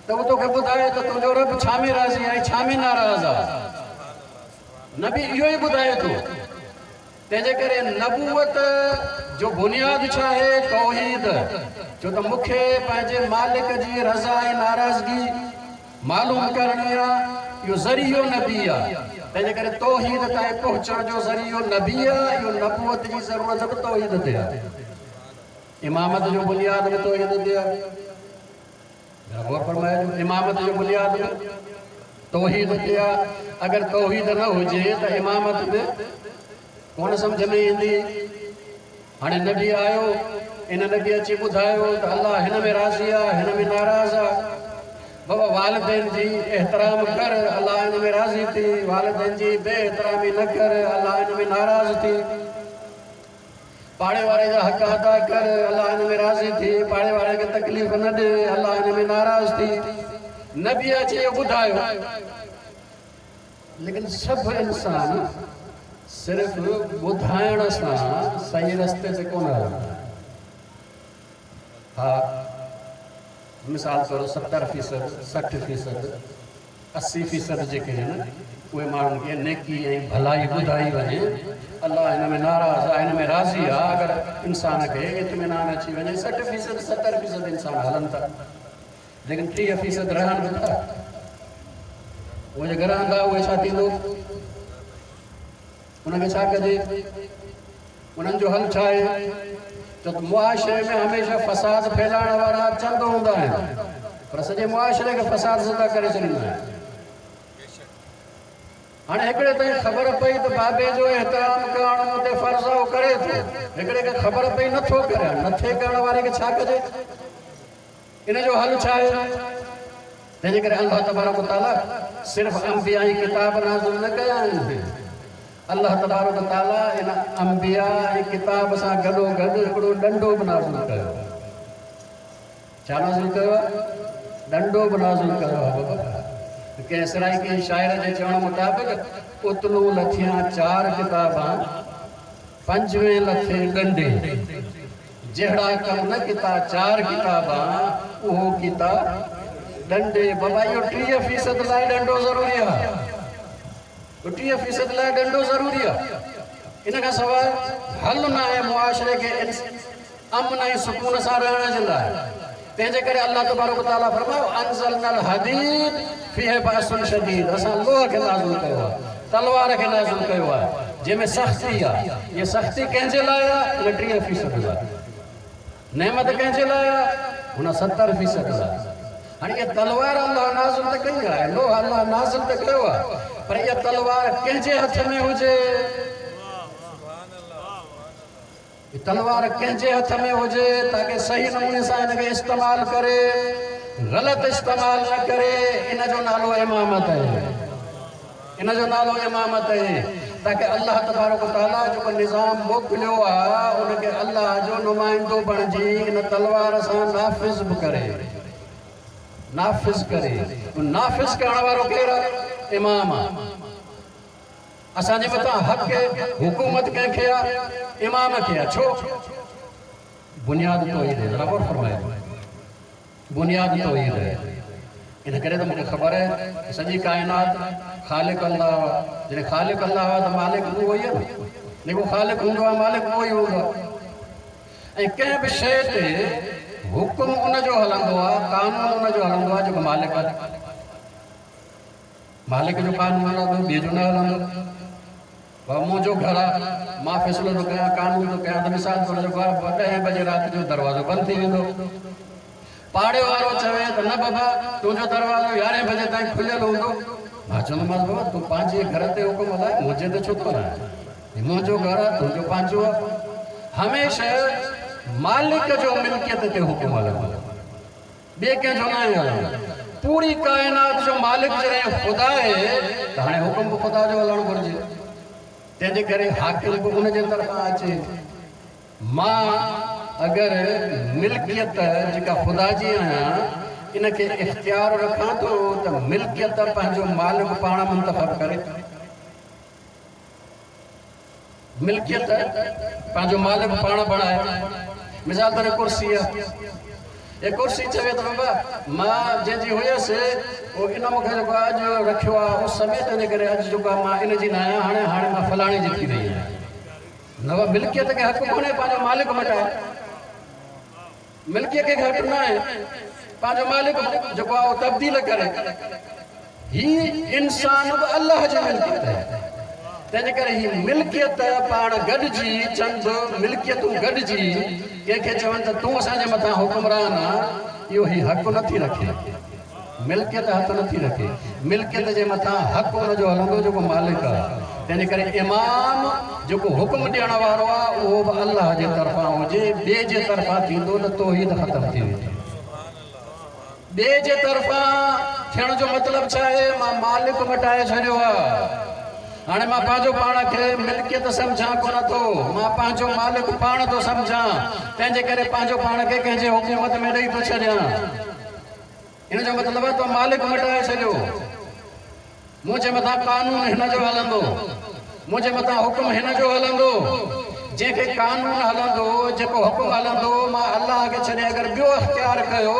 ته اهو توکي ٻڌائي ته تنهنجو رب ڇا ۾ راضي آهي، ڇا ۾ ناراض آهي. نبي اهو ئي ٻڌائي ٿو. تنهنجي ڪري نبوت جو بنياد ڇا آهي؟ توحيد. ڇو ته مون کي پنهنجي مالڪ جي رضا ۽ ناراضگي معلوم ڪرڻي آهي، اهو ذريعو نبي آهي. تنهنجي ڪري توحيد تائين پهچڻ جو ذريعو نبي آهي. اهو نبوت جي ضرورت به توحيد تي آهي. امامت جو بنياد به توحيد تي آهي. غور فرمائجو، امامت جو بنياد به توحيد تي آهي. اگر توحيد نه هجي ته امامت به ڪونه سمجهه ۾ ايندي. هاڻي نبي آيو، ان نبي اچي ٻڌايو ته الله هن ۾ راضي آهي، هن ۾ ناراض آهي. بابا والدين جي احترام ڪر، الله هن ۾ راضي ٿي. والدين جي بي احترامي نه ڪر، الله هن ۾ ناراض ٿي. پاڙي واري جا حق ادا ڪر، الله هن ۾ راضي ٿي. پاڙي واري کي تڪليف نه ڏي، الله هن ۾ ناراض ٿي. نبي اچي اهو ٻڌايو. ليڪن سڀ انسان صرف ٻڌائڻ سان صحيح رستي تي ڪونه هلندا. ها، مثال طور ستر فيصد، سٺ فيصد، اسي فيصد جيڪي آهن اهي ماڻهن کي نيڪي ۽ ڀلائي ٻڌائي وڃي، الله هن ۾ ناراض آهي، هن ۾ راضي آهي. اگر انسان کي اطمينان اچي وڃي، سٺ فيصد ستر فيصد انسان هلن ٿا، ليڪن ٽيهه فيصد رهن به ٿا. اهي جيڪي رهندا اهي ڇا ٿيندو؟ هن کي ڇا ڪجي؟ انهن جو حل ڇا آهي؟ ته معاشري ۾ هميشه فساد ڦهلائڻ وارا چند هوندا آهن، پر سڄي معاشري کي فساد زده ڪري ڇڏيندا آهن. هاڻي هڪڙي تائين خبر پئي ته بابي جو احترام ڪرڻ مون تي فرض آهي، اهو ڪري ٿو. هڪڙي کي خبر پئي نٿو ڪري، نٿي ڪرڻ واري کي ڇا ڪجي؟ ان جو حل ڇا آهي؟ تنهنجي ڪري الله تبارڪ وتعاليٰ صرف انبيا ۽ ڪتاب نازل نه ڪيا آهن. الله تبارڪ وتعاليٰ ان انبيا ۽ ڪتاب سان گڏو گڏ هڪڙو ڏنڊو به نازل ڪيو آهي. ڇا نازل ڪيو آهي؟ ڏنڊو به نازل ڪيو آهي. بابا ڪنهن سرائيڪي شاعر جي چوڻ مطابق اتلو لٿيان چار ڪتابان، پنجويهه لٿي ڏنڊي. جهڙا ڪم نه ڪتا چار ڪتابان، اهو ڪتا ڏنڊي. بابا اهو ٽيهه فيصد لاءِ ڏنڊو ضروري آهي. ٽيهه فيصد لاءِ ڏنڊو ضروري آهي. ان کان سواءِ حل نه آهي معاشري کي امن ۽ سڪون سان رهڻ جي لاءِ. تنهنجي ڪري الله تبارڪ وتعاليٰ فرمايو انزلنا الحديد فيه بأس شديد. اسان لوهه کي نازل ڪيو آهي، تلوار کي نازل ڪيو آهي، جنهن ۾ سختي آهي. اها سختي ڪنهن جي لاءِ آهي؟ ان ٽيهه فيصد لاءِ. نعمت ڪنهن جي لاءِ آهي؟ هن ستر فيصد لاءِ. هاڻي اها تلوار الله نازل ته ڪئي آهي، لوهه الله نازل ته ڪيو آهي، پر اها تلوار ڪنهن جي هٿ ۾ هجي؟ تلوار ڪنهن جي هٿ ۾ هجي تاڪه صحيح نموني سان هن کي استعمال ڪري، غلط استعمال نه ڪري. ان جو نالو امامت آهي. ان جو نالو امامت آهي. تاڪه الله تبارڪ وتعاليٰ جيڪو نظام موڪليو آهي ان کي الله جو نمائندو بڻجي ان تلوار سان نافذ به ڪري، نافذ ڪري. نافذ ڪرڻ وارو ڪير آهي؟ امام آهي. اسان جي مٿان حق حڪومت ڪنهن کي آهي؟ امام کي آهي. ڇو؟ बुनियाद तौहीद आहे। ज़रा गौर फरमाइजो, बुनियाद तौहीद आहे। इन करे त मूंखे ख़बर आहे सॼी काइनात ख़ालिक अल्लाह आहे। जॾहिं ख़ालिक अल्लाह आहे त मालिक उहो ई आहे न, जेको ख़ालिक हूंदो आहे मालिक उहो ई हूंदो आहे। ऐं कंहिं बि शइ ते हुकुम उनजो हलंदो आहे, कानून उनजो हलंदो आहे जेको मालिक आहे। मालिक जो कानून हलंदो, ॿिए जो न हलंदो। बाबा मुंहिंजो घर आहे, मां फ़ैसिलो थो कयां, कानून थो कयां, त मिसाल तौर जेको आहे ॾहें बजे राति जो दरवाज़ो बंदि थी वेंदो। पाड़े वारो चवे त न बाबा तुंहिंजो दरवाज़ो यारहें बजे ताईं खुलियल हूंदो। मां चवंदोमांसि बाबा तूं पंहिंजे घर ते हुकुम हलाए, मुंहिंजे ते छो थो हलाए? मुंहिंजो घर आहे, तुंहिंजो पंहिंजो आहे। हमेशह मालिक जो मिल्कियत ते हुकुम हलंदो, ॿिए कंहिंजो न आहे हलंदो। पूरी काइनात जो मालिक जॾहिं ख़ुदा आहे त हाणे हुकुम बि ख़ुदा जो हलणु घुरिजे। तंहिंजे करे हाकिम बि उनजे तरफ़ां अचे। मां अगरि मिल्कियत जेका ख़ुदा जी आहियां इनखे इख़्तियार रखां थो त मिल्कियत पंहिंजो मालिक पाण मुंतख़ब करे, मिल्कियत पंहिंजो मालिक पाण बणाए। मिसाल तौर कुर्सी आहे, हे कुर्सी चवे त बाबा मां जंहिंजी हुयसि उहो इन मूंखे जेको अॼु रखियो आहे उस में, तंहिंजे करे अॼु जेको आहे मां इन जी न आहियां, हाणे हाणे मां फलाणे जी थी वई आहियां। न बाबा, मिल्कियत खे हक़ कोन्हे पंहिंजो मालिक मटाए, मिल्कियत खे हक़ न आहे पंहिंजो मालिक जेको आहे उहो तब्दील करे। ही इंसान बि अल्लाह जी मिल्कियत आहे, तंहिंजे करे ही मिल्कियत पाण गॾिजी, चंद मिल्कियतूं गॾिजी कंहिंखे चवनि त तूं असांजे मथां हुकुमरान आहे, इहो ही हक़ नथी रखे, मिल्कियत हथु नथी रखे। मिल्कियत जे मथां हक़ हुनजो हलंदो जेको मालिक आहे। तंहिंजे करे इमाम जेको हुकुम ॾियण वारो आहे उहो बि अल्लाह जे तरफ़ां हुजे, ॿिए जे तरफ़ां थींदो त तौहीद ख़तमु थी वेंदी। ॿिए जे तरफ़ां थियण जो मतिलबु छा आहे? मां मालिक मटाए छॾियो आहे, हाणे मां पंहिंजो पाण खे मिल्कियत सम्झां कोन थो, मां पंहिंजो मालिक पाण थो सम्झां, तंहिंजे करे पंहिंजो पाण खे कंहिंजे हुकूमत में ॾेई थो छॾियां। इन जो मतिलबु आहे तो मालिक मटाए छॾियो, मुंहिंजे मथां कानून हिन जो हलंदो, मुंहिंजे मथां हुकुम हिन जो हलंदो। जंहिंखे कानून हलंदो, जेको हुकुम हलंदो, मां अल्लाह खे छॾे अगरि ॿियो अख़्तियार कयो,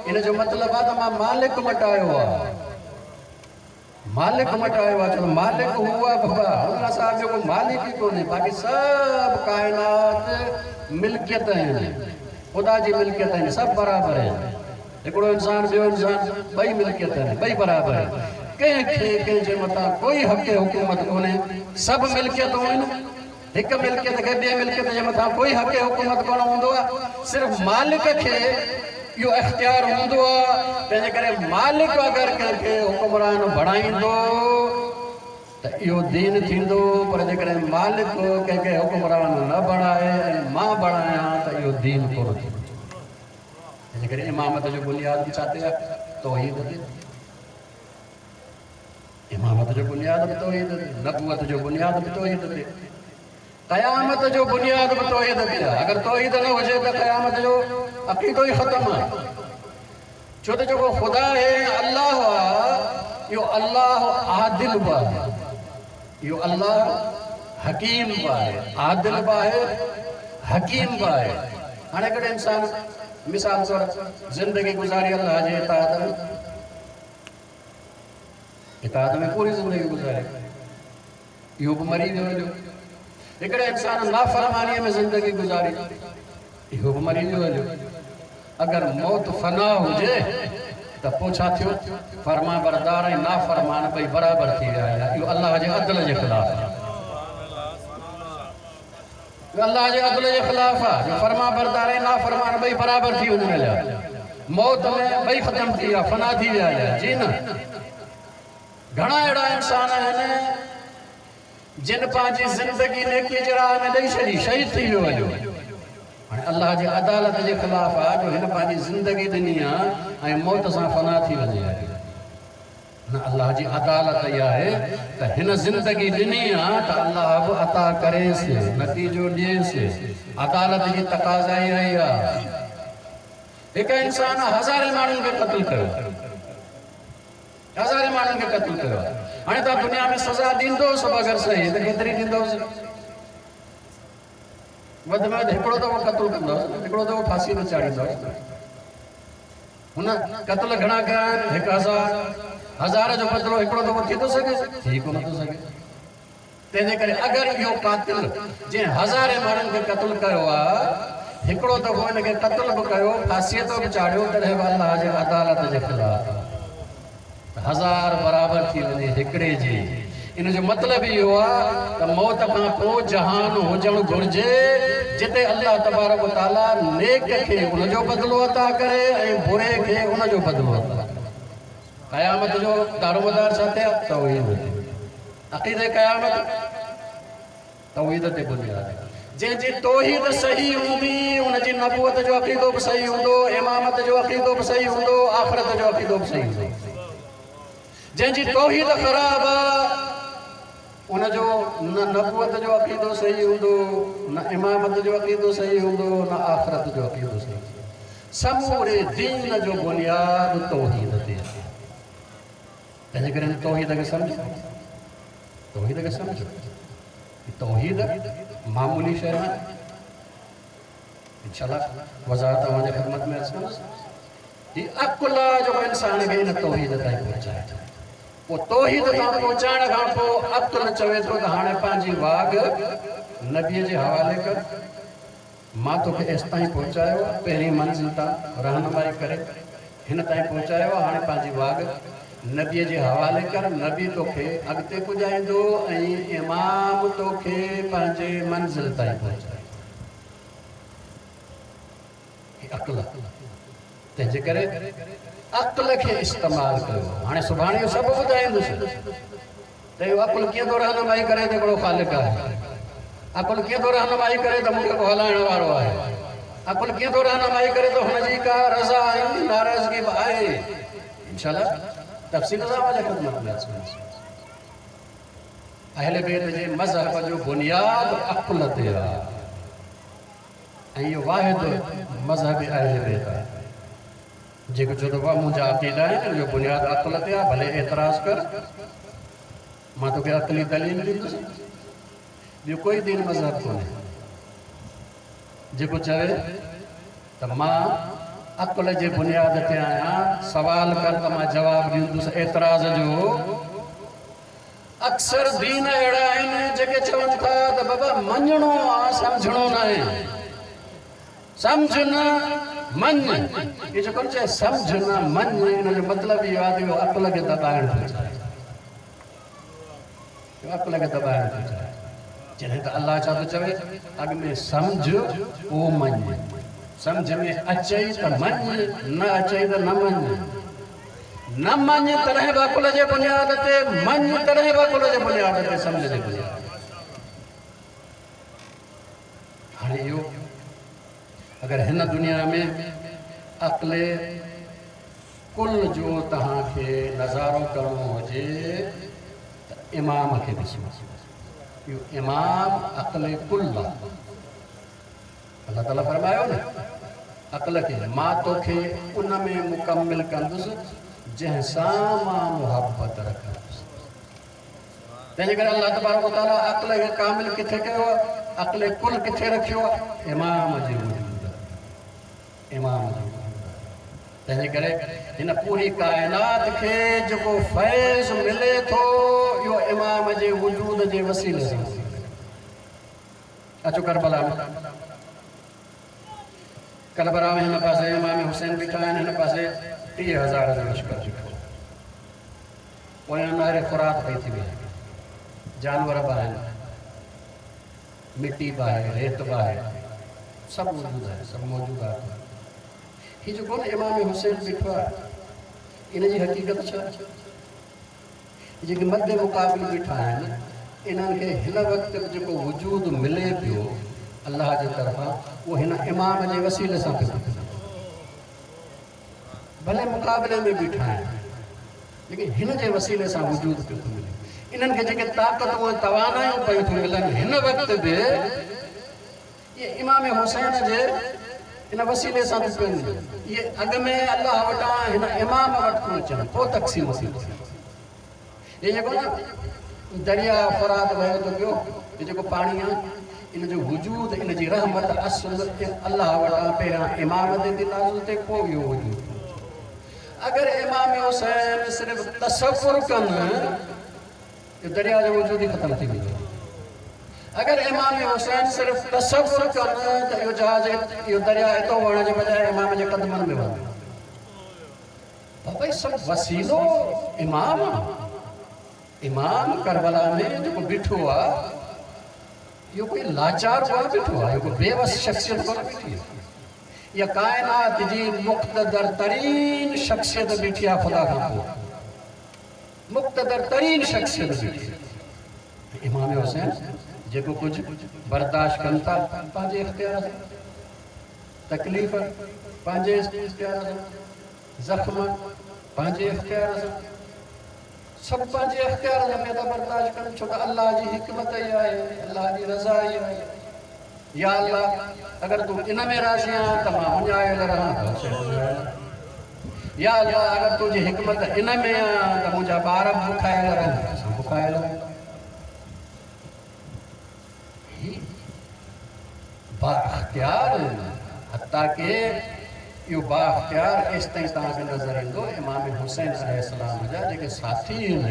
इन जो मतिलबु आहे त मां मालिक मटायो आहे, मालिक मटायो आहे। छो मालिक हू आहे बाबा, हुन सां ॿियो को मालिक ई कोन्हे, बाक़ी सभु काइनात मिल्कियत आहिनि, ख़ुदा जी मिल्कियत आहिनि, सभु बराबरि आहिनि। हिकिड़ो इंसान ॿियो इंसान ॿई मिल्कियत आहिनि, ॿई बराबरि आहिनि। कंहिंखे कंहिंजे मथां कोई हक़ हुकूमत कोन्हे, सभु मिल्कियतूं आहिनि। हिकु मिल्कियत खे ॿिए मिल्कियत जे मथां कोई हक़ हुकूमत कोन हूंदो आहे, सिर्फ़ मालिक खे इहो इख़्तियार हूंदो आहे। तंहिंजे करे मालिक अगरि कंहिंखे हुकुमरान बणाईंदो त इहो दीन थींदो, पर जेकॾहिं मालिक कंहिंखे हुकुमरान न बणाए ऐं मां बणायां त इहो दीन कोन थींदो। तंहिंजे करे इमामत जो बुनियाद बि छा ते आहे? तौहीद ते। इमामत जो बुनियाद बि तौहीद ते, नबूअत जो बुनियाद बि तौहीद ते, क़यामत जो बुनियाद बि तौहीद ते आहे। अगरि तौहीद न हुजे त क़यामत जो अक़ीदो ई ख़तमु आहे। छो त जेको ख़ुदा आहे, अल्लाह आहे, इहो अल्लाह आदिल बि आहे, इहो अल्लाह हकीम बि आहे, आदिल बि आहे, हकीम बि आहे। हाणे हिकिड़े इंसान मिसाल तौर ज़िंदगी गुज़ारी अल्लाह जे इताअत में, इताअत में पूरी ज़िंदगी गुज़ारी, इहो बि मरी वियो हलियो। हिकिड़े इंसान नाफ़रमानीअ में ज़िंदगी गुज़ारी, इहो बि मरी वियो हलियो। अगरि मौत फना हुजे त पोइ छा थियो? फर्मा बरदार ऐं नाफ़रमान ॿई बराबरि थी विया हलिया। इहो अल्लाह जे अदल जे ख़िलाफ़ आहे, इहो अल्लाह जे अदल जे ख़िलाफ़ आहे जो फर्मा बरदार ऐं नाफ़रमान ॿई बराबरि थी वञनि हलिया। मौत में ॿई ख़तमु थी विया, फना थी विया हलिया। जी न, घणा अहिड़ा इंसान आहिनि जिन पंहिंजी ज़िंदगी नेकीअ जे राह में ॾेई छॾी, शहीद थी वियो हलियो। हाणे अल्लाह जे अदालत जे ख़िलाफ़ आहे जो हिन पंहिंजी ज़िंदगी ॾिनी आहे ऐं मौत सां फना थी वञे हलियो। न, अल्लाह जी अदालत इहा आहे त हिन ज़िंदगी ॾिनी आहे त अल्लाह बि अता करेसि, नतीजो ॾिएसि। अदालत जी तक़ाज़ा इहा ई आहे। हिकु इंसान हज़ारे माण्हुनि खे क़तलु कयो, हज़ारे माण्हुनि खे क़तलु कयो आहे। हाणे तव्हां दुनिया में सज़ा ॾींदो सभु अगरि सही त केतिरी ॾींदोसि? وڌ ۾ وڌ هڪڙو دفعو قتل ڪندوس، هڪڙو دفعو ڦاسي تي چاڙهيندوس. هن قتل گهڻا ڪيا آهن؟ هڪ هزار. هزار جو بدلو هڪڙو دفعو ٿي ٿو سگهي؟ ٿي ڪونه ٿو سگهي. تنهنجي ڪري اگر اهو قاتل جنهن هزارين ماڻهن کي قتل ڪيو آهي، هڪڙو دفعو هن کي قتل به ڪيو، ڦاسيء تي به چاڙهيو، تڏهن به الله جي عدالت جي خلاف آهي. هزار برابر ٿي وڃي هڪڙي جي. ان جو مطلب اهو آهي ته موت کان پوءِ جهان هجڻ گهرجي جتي الله تبارڪ و تعاليٰ نيڪ کي ان جو بدلو عطا ڪري ۽ بري کي ان جو بدلو عطا ڪري. قيامت جو دارومدار ڇا تي آهي؟ توحيد تي. عقيدي قيامت توحيد تي بنياد آهي. جنهن جي توحيد صحيح هوندي ان جي نبوت جو عقيدو به صحيح هوندو، امامت جو عقيدو به صحيح هوندو، آخرت جو عقيدو به صحيح هوندو. جنهن جي توحيد خراب آهي ان جو نه نبوت جو عقيدو صحيح هوندو، نه امامت جو عقيدو صحيح هوندو، نه آخرت جو عقيدو صحيح هوندو. سموري دين جو بنياد توحيد تي آهي. تنهنجي ڪري هن توحيد کي سمجهو، توحيد کي سمجهو. توحيد معمولي شيءِ نه. انشاءالله وضاحت اوهان جي خدمت ۾ عرض ڪندس. هي عقل آهي جيڪو انسان کي هن توحيد تائين پهچائي ٿو. پوءِ توحيد تان پهچائڻ کان پوءِ عقل چوي ٿو ته هاڻي پنهنجي واڳ نبيءَ جي حوالي ڪر، مان توکي ايس تائين پهچايو آهي، پهرين منزل تان رهنمائي ڪري هن تائين پهچايو آهي، هاڻي پنهنجي واڳ نبيءَ جي حوالي ڪر، نبي توکي اڳتي پڄائيندو ۽ امام توکي پنهنجي منزل تائين پهچائيندو. هي عقل آهي. تنهنجي ڪري عقل کي استعمال ڪيو. هاڻي سڀاڻي اهو سڀ ٻڌائيندس ته اهو عقل ڪيئن ٿو رهنمائي ڪري ته هڪڙو خالق آهي، عقل ڪيئن ٿو رهنمائي ڪري ته مون کي ڪو هلائڻ وارو آهي، عقل ڪيئن ٿو رهنمائي ڪري ته هن جي ڪا رضا ۽ ناراضگي به آهي. انشاءالله تفصيل سان اوهان جي خدمت ۾ عرض ڪندس. اهل بيت جي مذهب جو بنياد عقل تي آهي ۽ اهو واحد مذهب اهل بيت آهي. جيڪو چوندو آهي منهنجا عقيدا آهن، ان جو بنياد عقل تي آهي، ڀلي اعتراض ڪر، مان توکي عقلي دليل ڏيندس. ٻيو ڪوئي دين مذهب ڪونهي جيڪو چوي ته مان عقل جي بنياد تي آهيان، سوال ڪر ته مان جواب ڏيندس اعتراض جو. اڪثر دين اهڙا آهن جيڪي چون ٿا ته بابا مڃڻو آهي، سمجهڻو نه آهي. سمجهه نه مڃ. اهو جيڪو چئي سمجهه نه مڃ، ان جو مطلب اهو آهي ته اهو عقل کي دٻائڻ ٿو چاهي، اهو عقل کي دٻائڻ ٿو چاهي. جڏهن ته الله ڇا ٿو چوي؟ اڳ ۾ سمجهه پوءِ مڃ. سمجهه ۾ اچئي ته مڃ، نه اچئي ته نه مڃ. نه مڃ تڏهن به عقل جي بنياد تي، مڃ تڏهن به عقل جي بنياد تي، سمجهه جي بنياد تي. هاڻي اهو اگر هن دنيا ۾ عقل ڪل جو توهان کي نظارو ڪرڻو هجي ته امام کي ڏسو. اهو امام عقل ڪل آهي. الله تعاليٰ فرمايو نه عقل کي، مان توکي ان ۾ مڪمل ڪندس جنهن سان مان محبت رکندس. تنهنجي ڪري الله تبارڪ و تعاليٰ عقل کي ڪامل ڪٿي ڪيو آهي؟ عقل ڪل ڪٿي رکيو آهي؟ امام جي وجود، امام جي وجود. تنهنجي ڪري هن پوري ڪائنات کي جيڪو فيض ملي ٿو اهو امام جي وجود جي وسيلي سان. اچو ڪربلا ۾، ڪربلا ۾ هن پاسي امام حسين بيٺا آهن، هن پاسي ٽيهه هزار جو لشڪر بيٺو. پويان نهر فرات پئي ٿي وئي، جانور به آهن، مٽي به آهي، ريت به آهي، سڀ موجود آهي، سڀ موجود آهي. هي جيڪو نه امام حسين بيٺو آهي، ان جي حقيقت ڇا؟ جيڪي مد مقابل بيٺا آهن انهن کي هن وقت به جيڪو وجود ملي پيو الله جي طرفان، اهو هن امام جي وسيلي سان پيو ملي. ڀلي مقابلي ۾ بيٺا آهن، ليڪن هن جي وسيلي سان وجود پيو ٿو ملي. انهن کي جيڪي طاقتون ۽ توانايون پيون ٿيون ملن هن وقت به، اهي امام حسين جي ان وسيلي سان ٿيون پيون ملن. اهي اڳ ۾ الله وٽان هن امام وٽ ٿيون اچن، پوءِ تقسيم ٿي ٿئي. هي جيڪو نه دريا فرات وهي ٿو پيو، هي جيڪو پاڻي آهي، ان جو وجود، ان جي رحمت اصل الله وٽان پهريان امام تي ٿي نازل ٿئي، پوءِ اهو وجود. اگر امام حسين صرف تصور ڪن، اهو دريا جو وجود ئي ختم ٿي ويندو. اگر امام حسين صرف تصور ڪن ته اهو جهاز، اهو دريا هتان وهڻ جي بجاءِ امام جي قدمن ۾ وهندو. بابا، هي سڀ وسيلو امام آهي. امام ڪربلا ۾ جيڪو بيٺو آهي، اهو ڪوئي لاچار ڪونه بيٺو آهي، اهو ڪوئي بيوس شخصيت ڪونه بيٺي آهي. اها ڪائنات جي مقتدر ترين شخصيت بيٺي آهي، خدا کان پوءِ مقتدر ترين شخصيت بيٺي آهي. امام حسين جيڪو ڪجهه برداشت ڪن ٿا پنهنجي اختيار سان، تڪليف پنهنجي اختيار سان، زخم پنهنجي اختيار سان، سڀ پنهنجي اختيار سان پيا ٿا برداشت ڪن، ڇو ته الله جي حڪمت ئي آهي، الله جي رضا ئي آهي. يا الله، اگر تون ان ۾ راضي آهين ته مان اڃايل رهان. يا الله، اگر تنهنجي حڪمت ان ۾ آهي ته منهنجا ٻار به بکايل رهن، اسان بکايل رهون. هي با اختيار آهن. حتيٰ ڪه اهو با اختيار ايستائين توهان کي نظر ايندو، امام حسين عليه السلام جا جيڪي ساٿي آهن،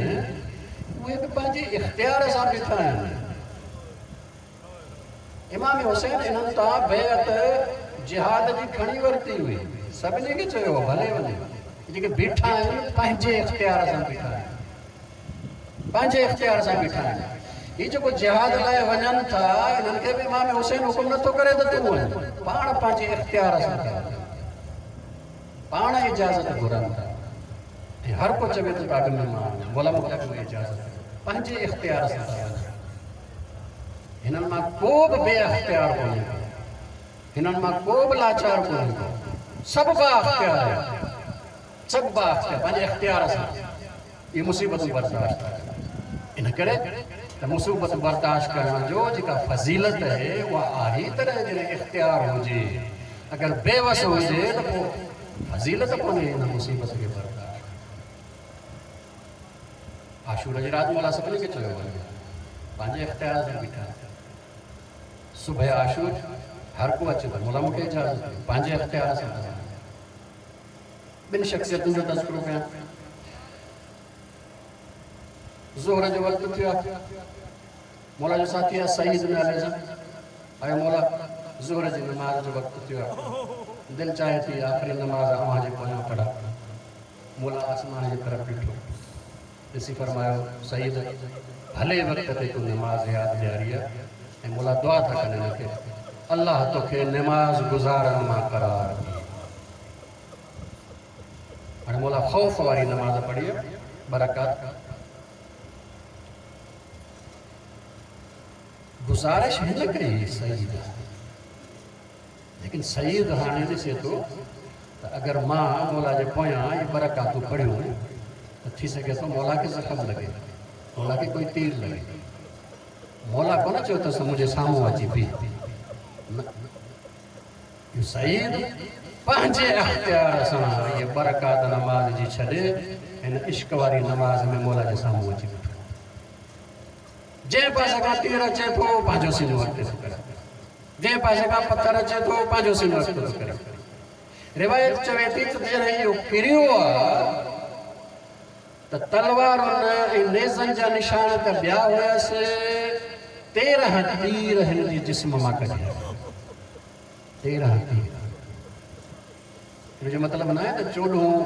اهي به پنهنجي اختيار سان بيٺا آهن. امام حسين انهن تان بيعت جهاد جي کڻي ورتي هئي، سڀني کي چيو ڀلي وڃي. جيڪي بيٺا آهن پنهنجي اختيار سان بيٺا آهن، پنهنجي اختيار سان بيٺا آهن. هي جيڪو جهاد لاءِ وڃن ٿا، انهن کي به امام حسين حڪم نٿو ڪري ته تون وڃ. پاڻ پنهنجي اختيار سان ٿا وڃن، پاڻ اجازت گهرن ٿا، ۽ هر ڪو چوي ٿو ته اڳ ۾ مان وڃان، مولا مون کي اڳ ۾ اجازت ڏيو. پنهنجي اختيار سان ٿا وڃن. هنن مان ڪو به بي اختيار ڪونهي ڪو، هنن مان ڪو به لاچار ڪونهي ڪو، سڀ با اختيار آهن، سڀ با اختيار. پنهنجي اختيار سان اهي مصيبتون برداشت ٿا ڪن. ان ڪري ته مصيبت برداشت ڪرڻ جو جيڪا فضيلت آهي، اها آهي تڏهن جڏهن اختيار هجي. اگر بيوس هجي ته پوءِ فضيلت ڪونهي هن مصيبت کي برداشت. عاشور جي رات مولا سڀني کي چيو وڃي، پنهنجي اختيار سان بيٺا. صبح عاشور هر ڪو اچي ٿو، مولا مون کي اجازت ڏيو، پنهنجي اختيار سان ٿا وڃن. ٻن شخصيتن جو تذڪرو ڪيان. زهر جو وقت ٿيو آهي، مولا جو ساٿي آهي سعيد نالي سان آيو، مولا زهر جي نماز جو وقت ٿيو آهي، دل چاهي ٿي آخري نماز اوهان جي پويان پڙهان. مولا آسمان جي طرف ڏٺو، ڏسي فرمايو، سعيد، ڀلي وقت تي تون نماز ياد ڏياري آهي. ۽ مولا دعا ٿا ڪن هن کي، الله توکي نماز گذارن مان قرار ڏي. هاڻي مولا خوف واري نماز پڙهي آهي، ٻه رڪعت. گذارش هن ڪئي سعيد، ليڪن سعيد هاڻي ڏسي ٿو ته اگر مان مولا جي پويان اهي ٻه رڪعتون پڙهيون ته ٿي سگهي ٿو مولا کي زخم لڳي، مولا کي ڪوئي تير لڳي. مولا ڪونه چيو اٿس منهنجي سامهون اچي بيهه، نه. اهو سعيد پنهنجي اختيار سان اهي ٻه رڪعت نماز جي ڇڏي هن عشق واري نماز ۾ مولا جي سامهون اچي بيٺو. جنهن پاسي کان تير اچي ٿو، پنهنجو سينو اڳتي ٿو ڪري، جنهن پاسي کان پٿر اچي ٿو، پنهنجو سينو اڳتي ٿو ڪري. روايت چوي ٿي ته جڏهن اهو ڪريو آهي ته تلوارن ۽ نيزن جا نشان ته ٻيا هيس، تيرهن تير هن جي جسم مان ڪڍيا، تيرهن تير. هن جو مطلب نه آهي ته چوڏهون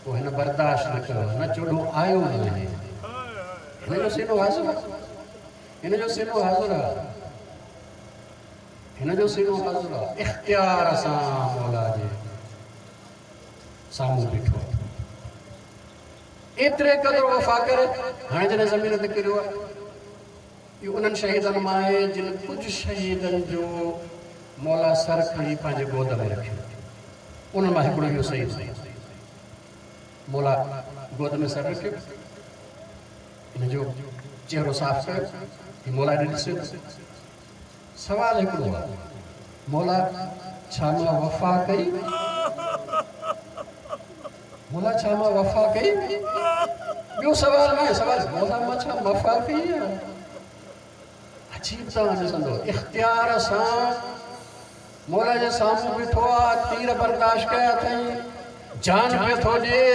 پوءِ هن برداشت نه ڪيو، نه، چوڏهون آيو نه آهي. هن جو سينو حاضر آهي، هن جو سينو حاضر آهي، هن جو سينو حاضر آهي. اختيار سان مولا جي سامهون بيٺو آهي. ايتري قدر وفا ڪري هاڻي جڏهن زمين تي ڪريو آهي، اهو انهن شهيدن مان آهي جن ڪجهه شهيدن جو مولا سر کڻي پنهنجي گود ۾ رکيو. انهن مان هڪڙو اهو شهيد. مولا گود ۾ سر رکيو، هن جو چهرو صاف ڪيو، هي مولا ڏي ڏسي ٿو. سوال هڪڙو آهي، مولا ڇا مان وفا ڪئي؟ مولا ڇا مان وفا ڪئي؟ ٻيو سوال نه آهي، سوال مولا مان ڇا وفا ڪئي آهي؟ अजीब तव्हां ॾिसंदो इख़्तियार सां मौला जे साम्हूं बीठो आहे, तीर बर्दाश्त कया अथई, जान पियो थो ॾिए,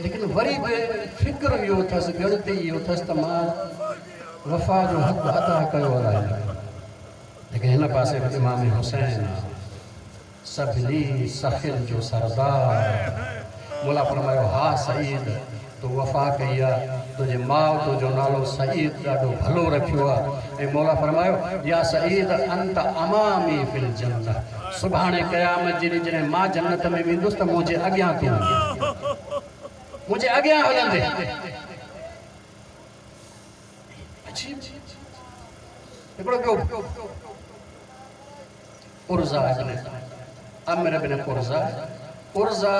लेकिन वरी बि फ़िक्र इहो अथसि, ॻणती इहो अथसि त मां वफ़ा जो हक़ अदा कयो आहे। लेकिन हिन पासे बि इमाम हुसैन सभिनी सखियुनि जो सरदार। मौला फरमायो, हा सईद, तो वफ़ा कई आहे, तुंहिंजे माउ तुंहिंजो नालो सईद ॾाढो भलो रखियो आहे। ऐं मौला फरमायो, या सईद अंत अमामी फिल जन्नत, सुभाणे क़यामत जे ॾींहुं जॾहिं मां जन्नत में वेंदुसि त मुंहिंजे अॻियां तूं मुंहिंजे अॻियां हलंदे। अजीब हिकिड़ो ॿियो उर्ज़ा इब्न अमर इब्न उर्ज़ा, उर्ज़ा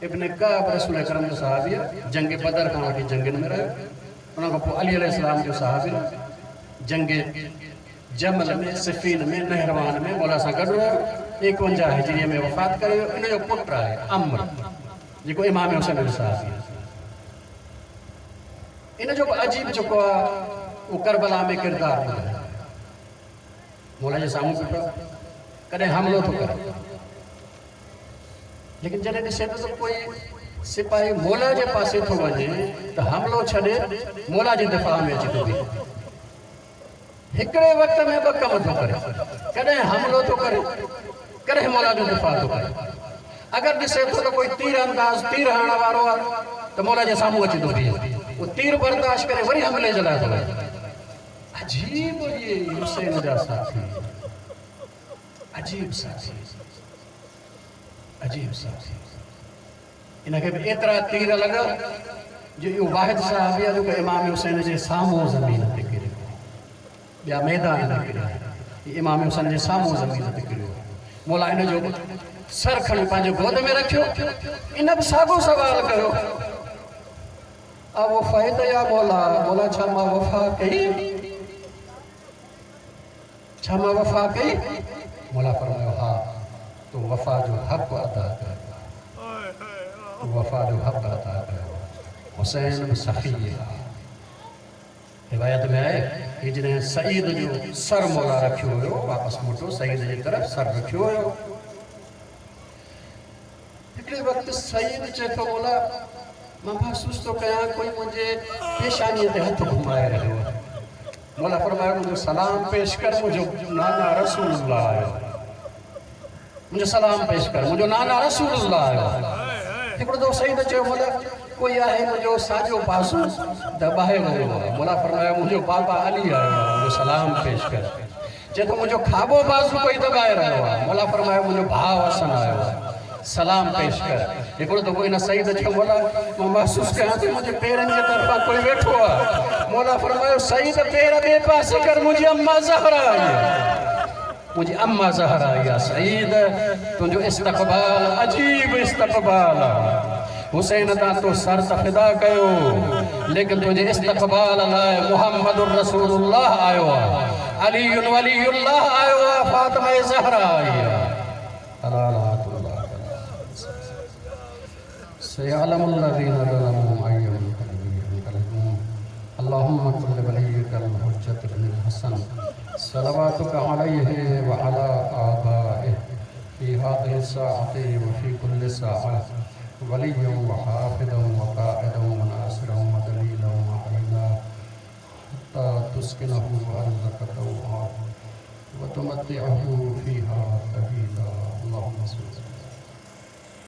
इब्न काब रसूल अकरम जो सहाबी आहे, जंग बदर खां वठी जंगियुनि में रहियो। उन खां पोइ अली अलैहिस्सलाम जो सहाबी, जंग जमल में, सिफीन में, नहरवान में मौला सां गॾु रहियो। एकवंजाह हिजरीअ में वफ़ात करे वियो। इन जो पुटु आहे अमर, जेको इमाम हुसैन जो सहाबी आहे। इन जो बि अजीब जेको आहे उहो करबला में किरदारु ॿुधायो। मौला जे साम्हूं बीठो, कॾहिं हमलो थो करे, लेकिन जॾहिं ॾिसे थो त कोई सिपाही मौला जे पासे थो वञे त हमलो छॾे मौला जे दिफ़ा में अची थो बीहे। हिकिड़े वक़्त में ॿ कम थो करे, कॾहिं हमलो थो करे, कॾहिं मौला जो दिफ़ा थो करे। अगरि ॾिसे थो त कोई तीर अंदाज़ तीर हणण वारो आहे त मौला जे साम्हूं अची थो बीहे, उहो तीर बर्दाश्त करे वरी हमले जे लाइ थो वञे। अजीब इहे हुसैन जा साथी, अजीब साथी, अजीब साथी। इन खे बि एतिरा तीर लॻा जो इहो वाहिद साहब आहे जेको इमाम हुसैन जे साम्हूं ज़मीन ते किरियो, ॿिया मैदान में किरिया, इमाम हुसैन जे साम्हूं ज़मीन ते किरियो। मौला इन जो सर खणी पंहिंजे गोद में रखियो। इन बि साॻियो सवाल कयो, वफ़ाइत या मौला, मौला छा मां वफ़ा कई, छा मां वफ़ा कई? मौला फरमायो, हा, तो वफ़ा जो हक़ अदा कयो, तो वफ़ा जो हक़ अदा कयो। हुसैन बि सखी आहे। रिवायत में आहे कि जॾहिं सईद जो सर मौला रखियो हुयो, वापसि मोटो सईद जे तरफ़ सर रखियो हुयो। हिकिड़े वक़्तु सईद चए थो, मौला मां महसूसु थो कयां कोई मुंहिंजे पेशानीअ ते हथु घुमाए रहियो आहे। मौला फरमायो, मुंहिंजो सलाम पेश कर, मुंहिंजो नाना रसूलुल्लाह आयो, मुंहिंजो सलाम पेश कर, मुंहिंजो नाना रसूलुल्लाह आयो। हिकिड़ो दफ़ो सईद चयो, मौला कोई आहे मुंहिंजो साॼो पासो दॿाए रहियो आहे। मौला फरमायो, मुंहिंजो बाबा अली आयो आहे, मुंहिंजो सलाम पेश कर। चए थो, मुंहिंजो खाॿो बाज़ू कोई दॿाए रहियो आहे। मौला फरमायो, मुंहिंजो भाउ हसन आयो आहे, सलाम पेश कर। हिकिड़ो दफ़ो इन सईद चयो, मौला मां महसूसु कयां थो मुंहिंजे पेरनि जे तरफ़ां कोई वेठो आहे। मौला फरमायो, सईद पेर ॿिए पासे कर, मुंहिंजी अम्मा ज़हरा आई आहे, मुंहिंजी अम्मा ज़हरा आई आहे। सईद तुंहिंजो इस्तक़बाल अजीब इस्तक़बाल आहे। हुसैन तां तो सर त फिदा कयो, लेकिन तुंहिंजे इस्तक़बाल लाइ मुहम्मद रसूलुल्लाह आयो आहे, अली वलीउल्लाह आयो आहे, फ़ातिमा ज़हरा आई आहे। सयअलमुल्लज़ीना ज़लमू अय्य मुनक़लबिन यनक़लिबून। अल्लाहुम्मा कुल्ल वलिय्यिका अल-हुज्जत इब्न हसन सलवातुका अलैहि व अला आबाइहि फ़ी हाज़िहि साअति व फ़ी कुल्लि साअह वलिय्यन व हाफ़िज़न व क़ाइदन व नासिरन व दलीलन व अईना हत्ता तुस्किनहु अर्ज़क तौआ व तुमत्तिअहु फ़ीहा तवीला। अल्लाहुम्मा सल्लि।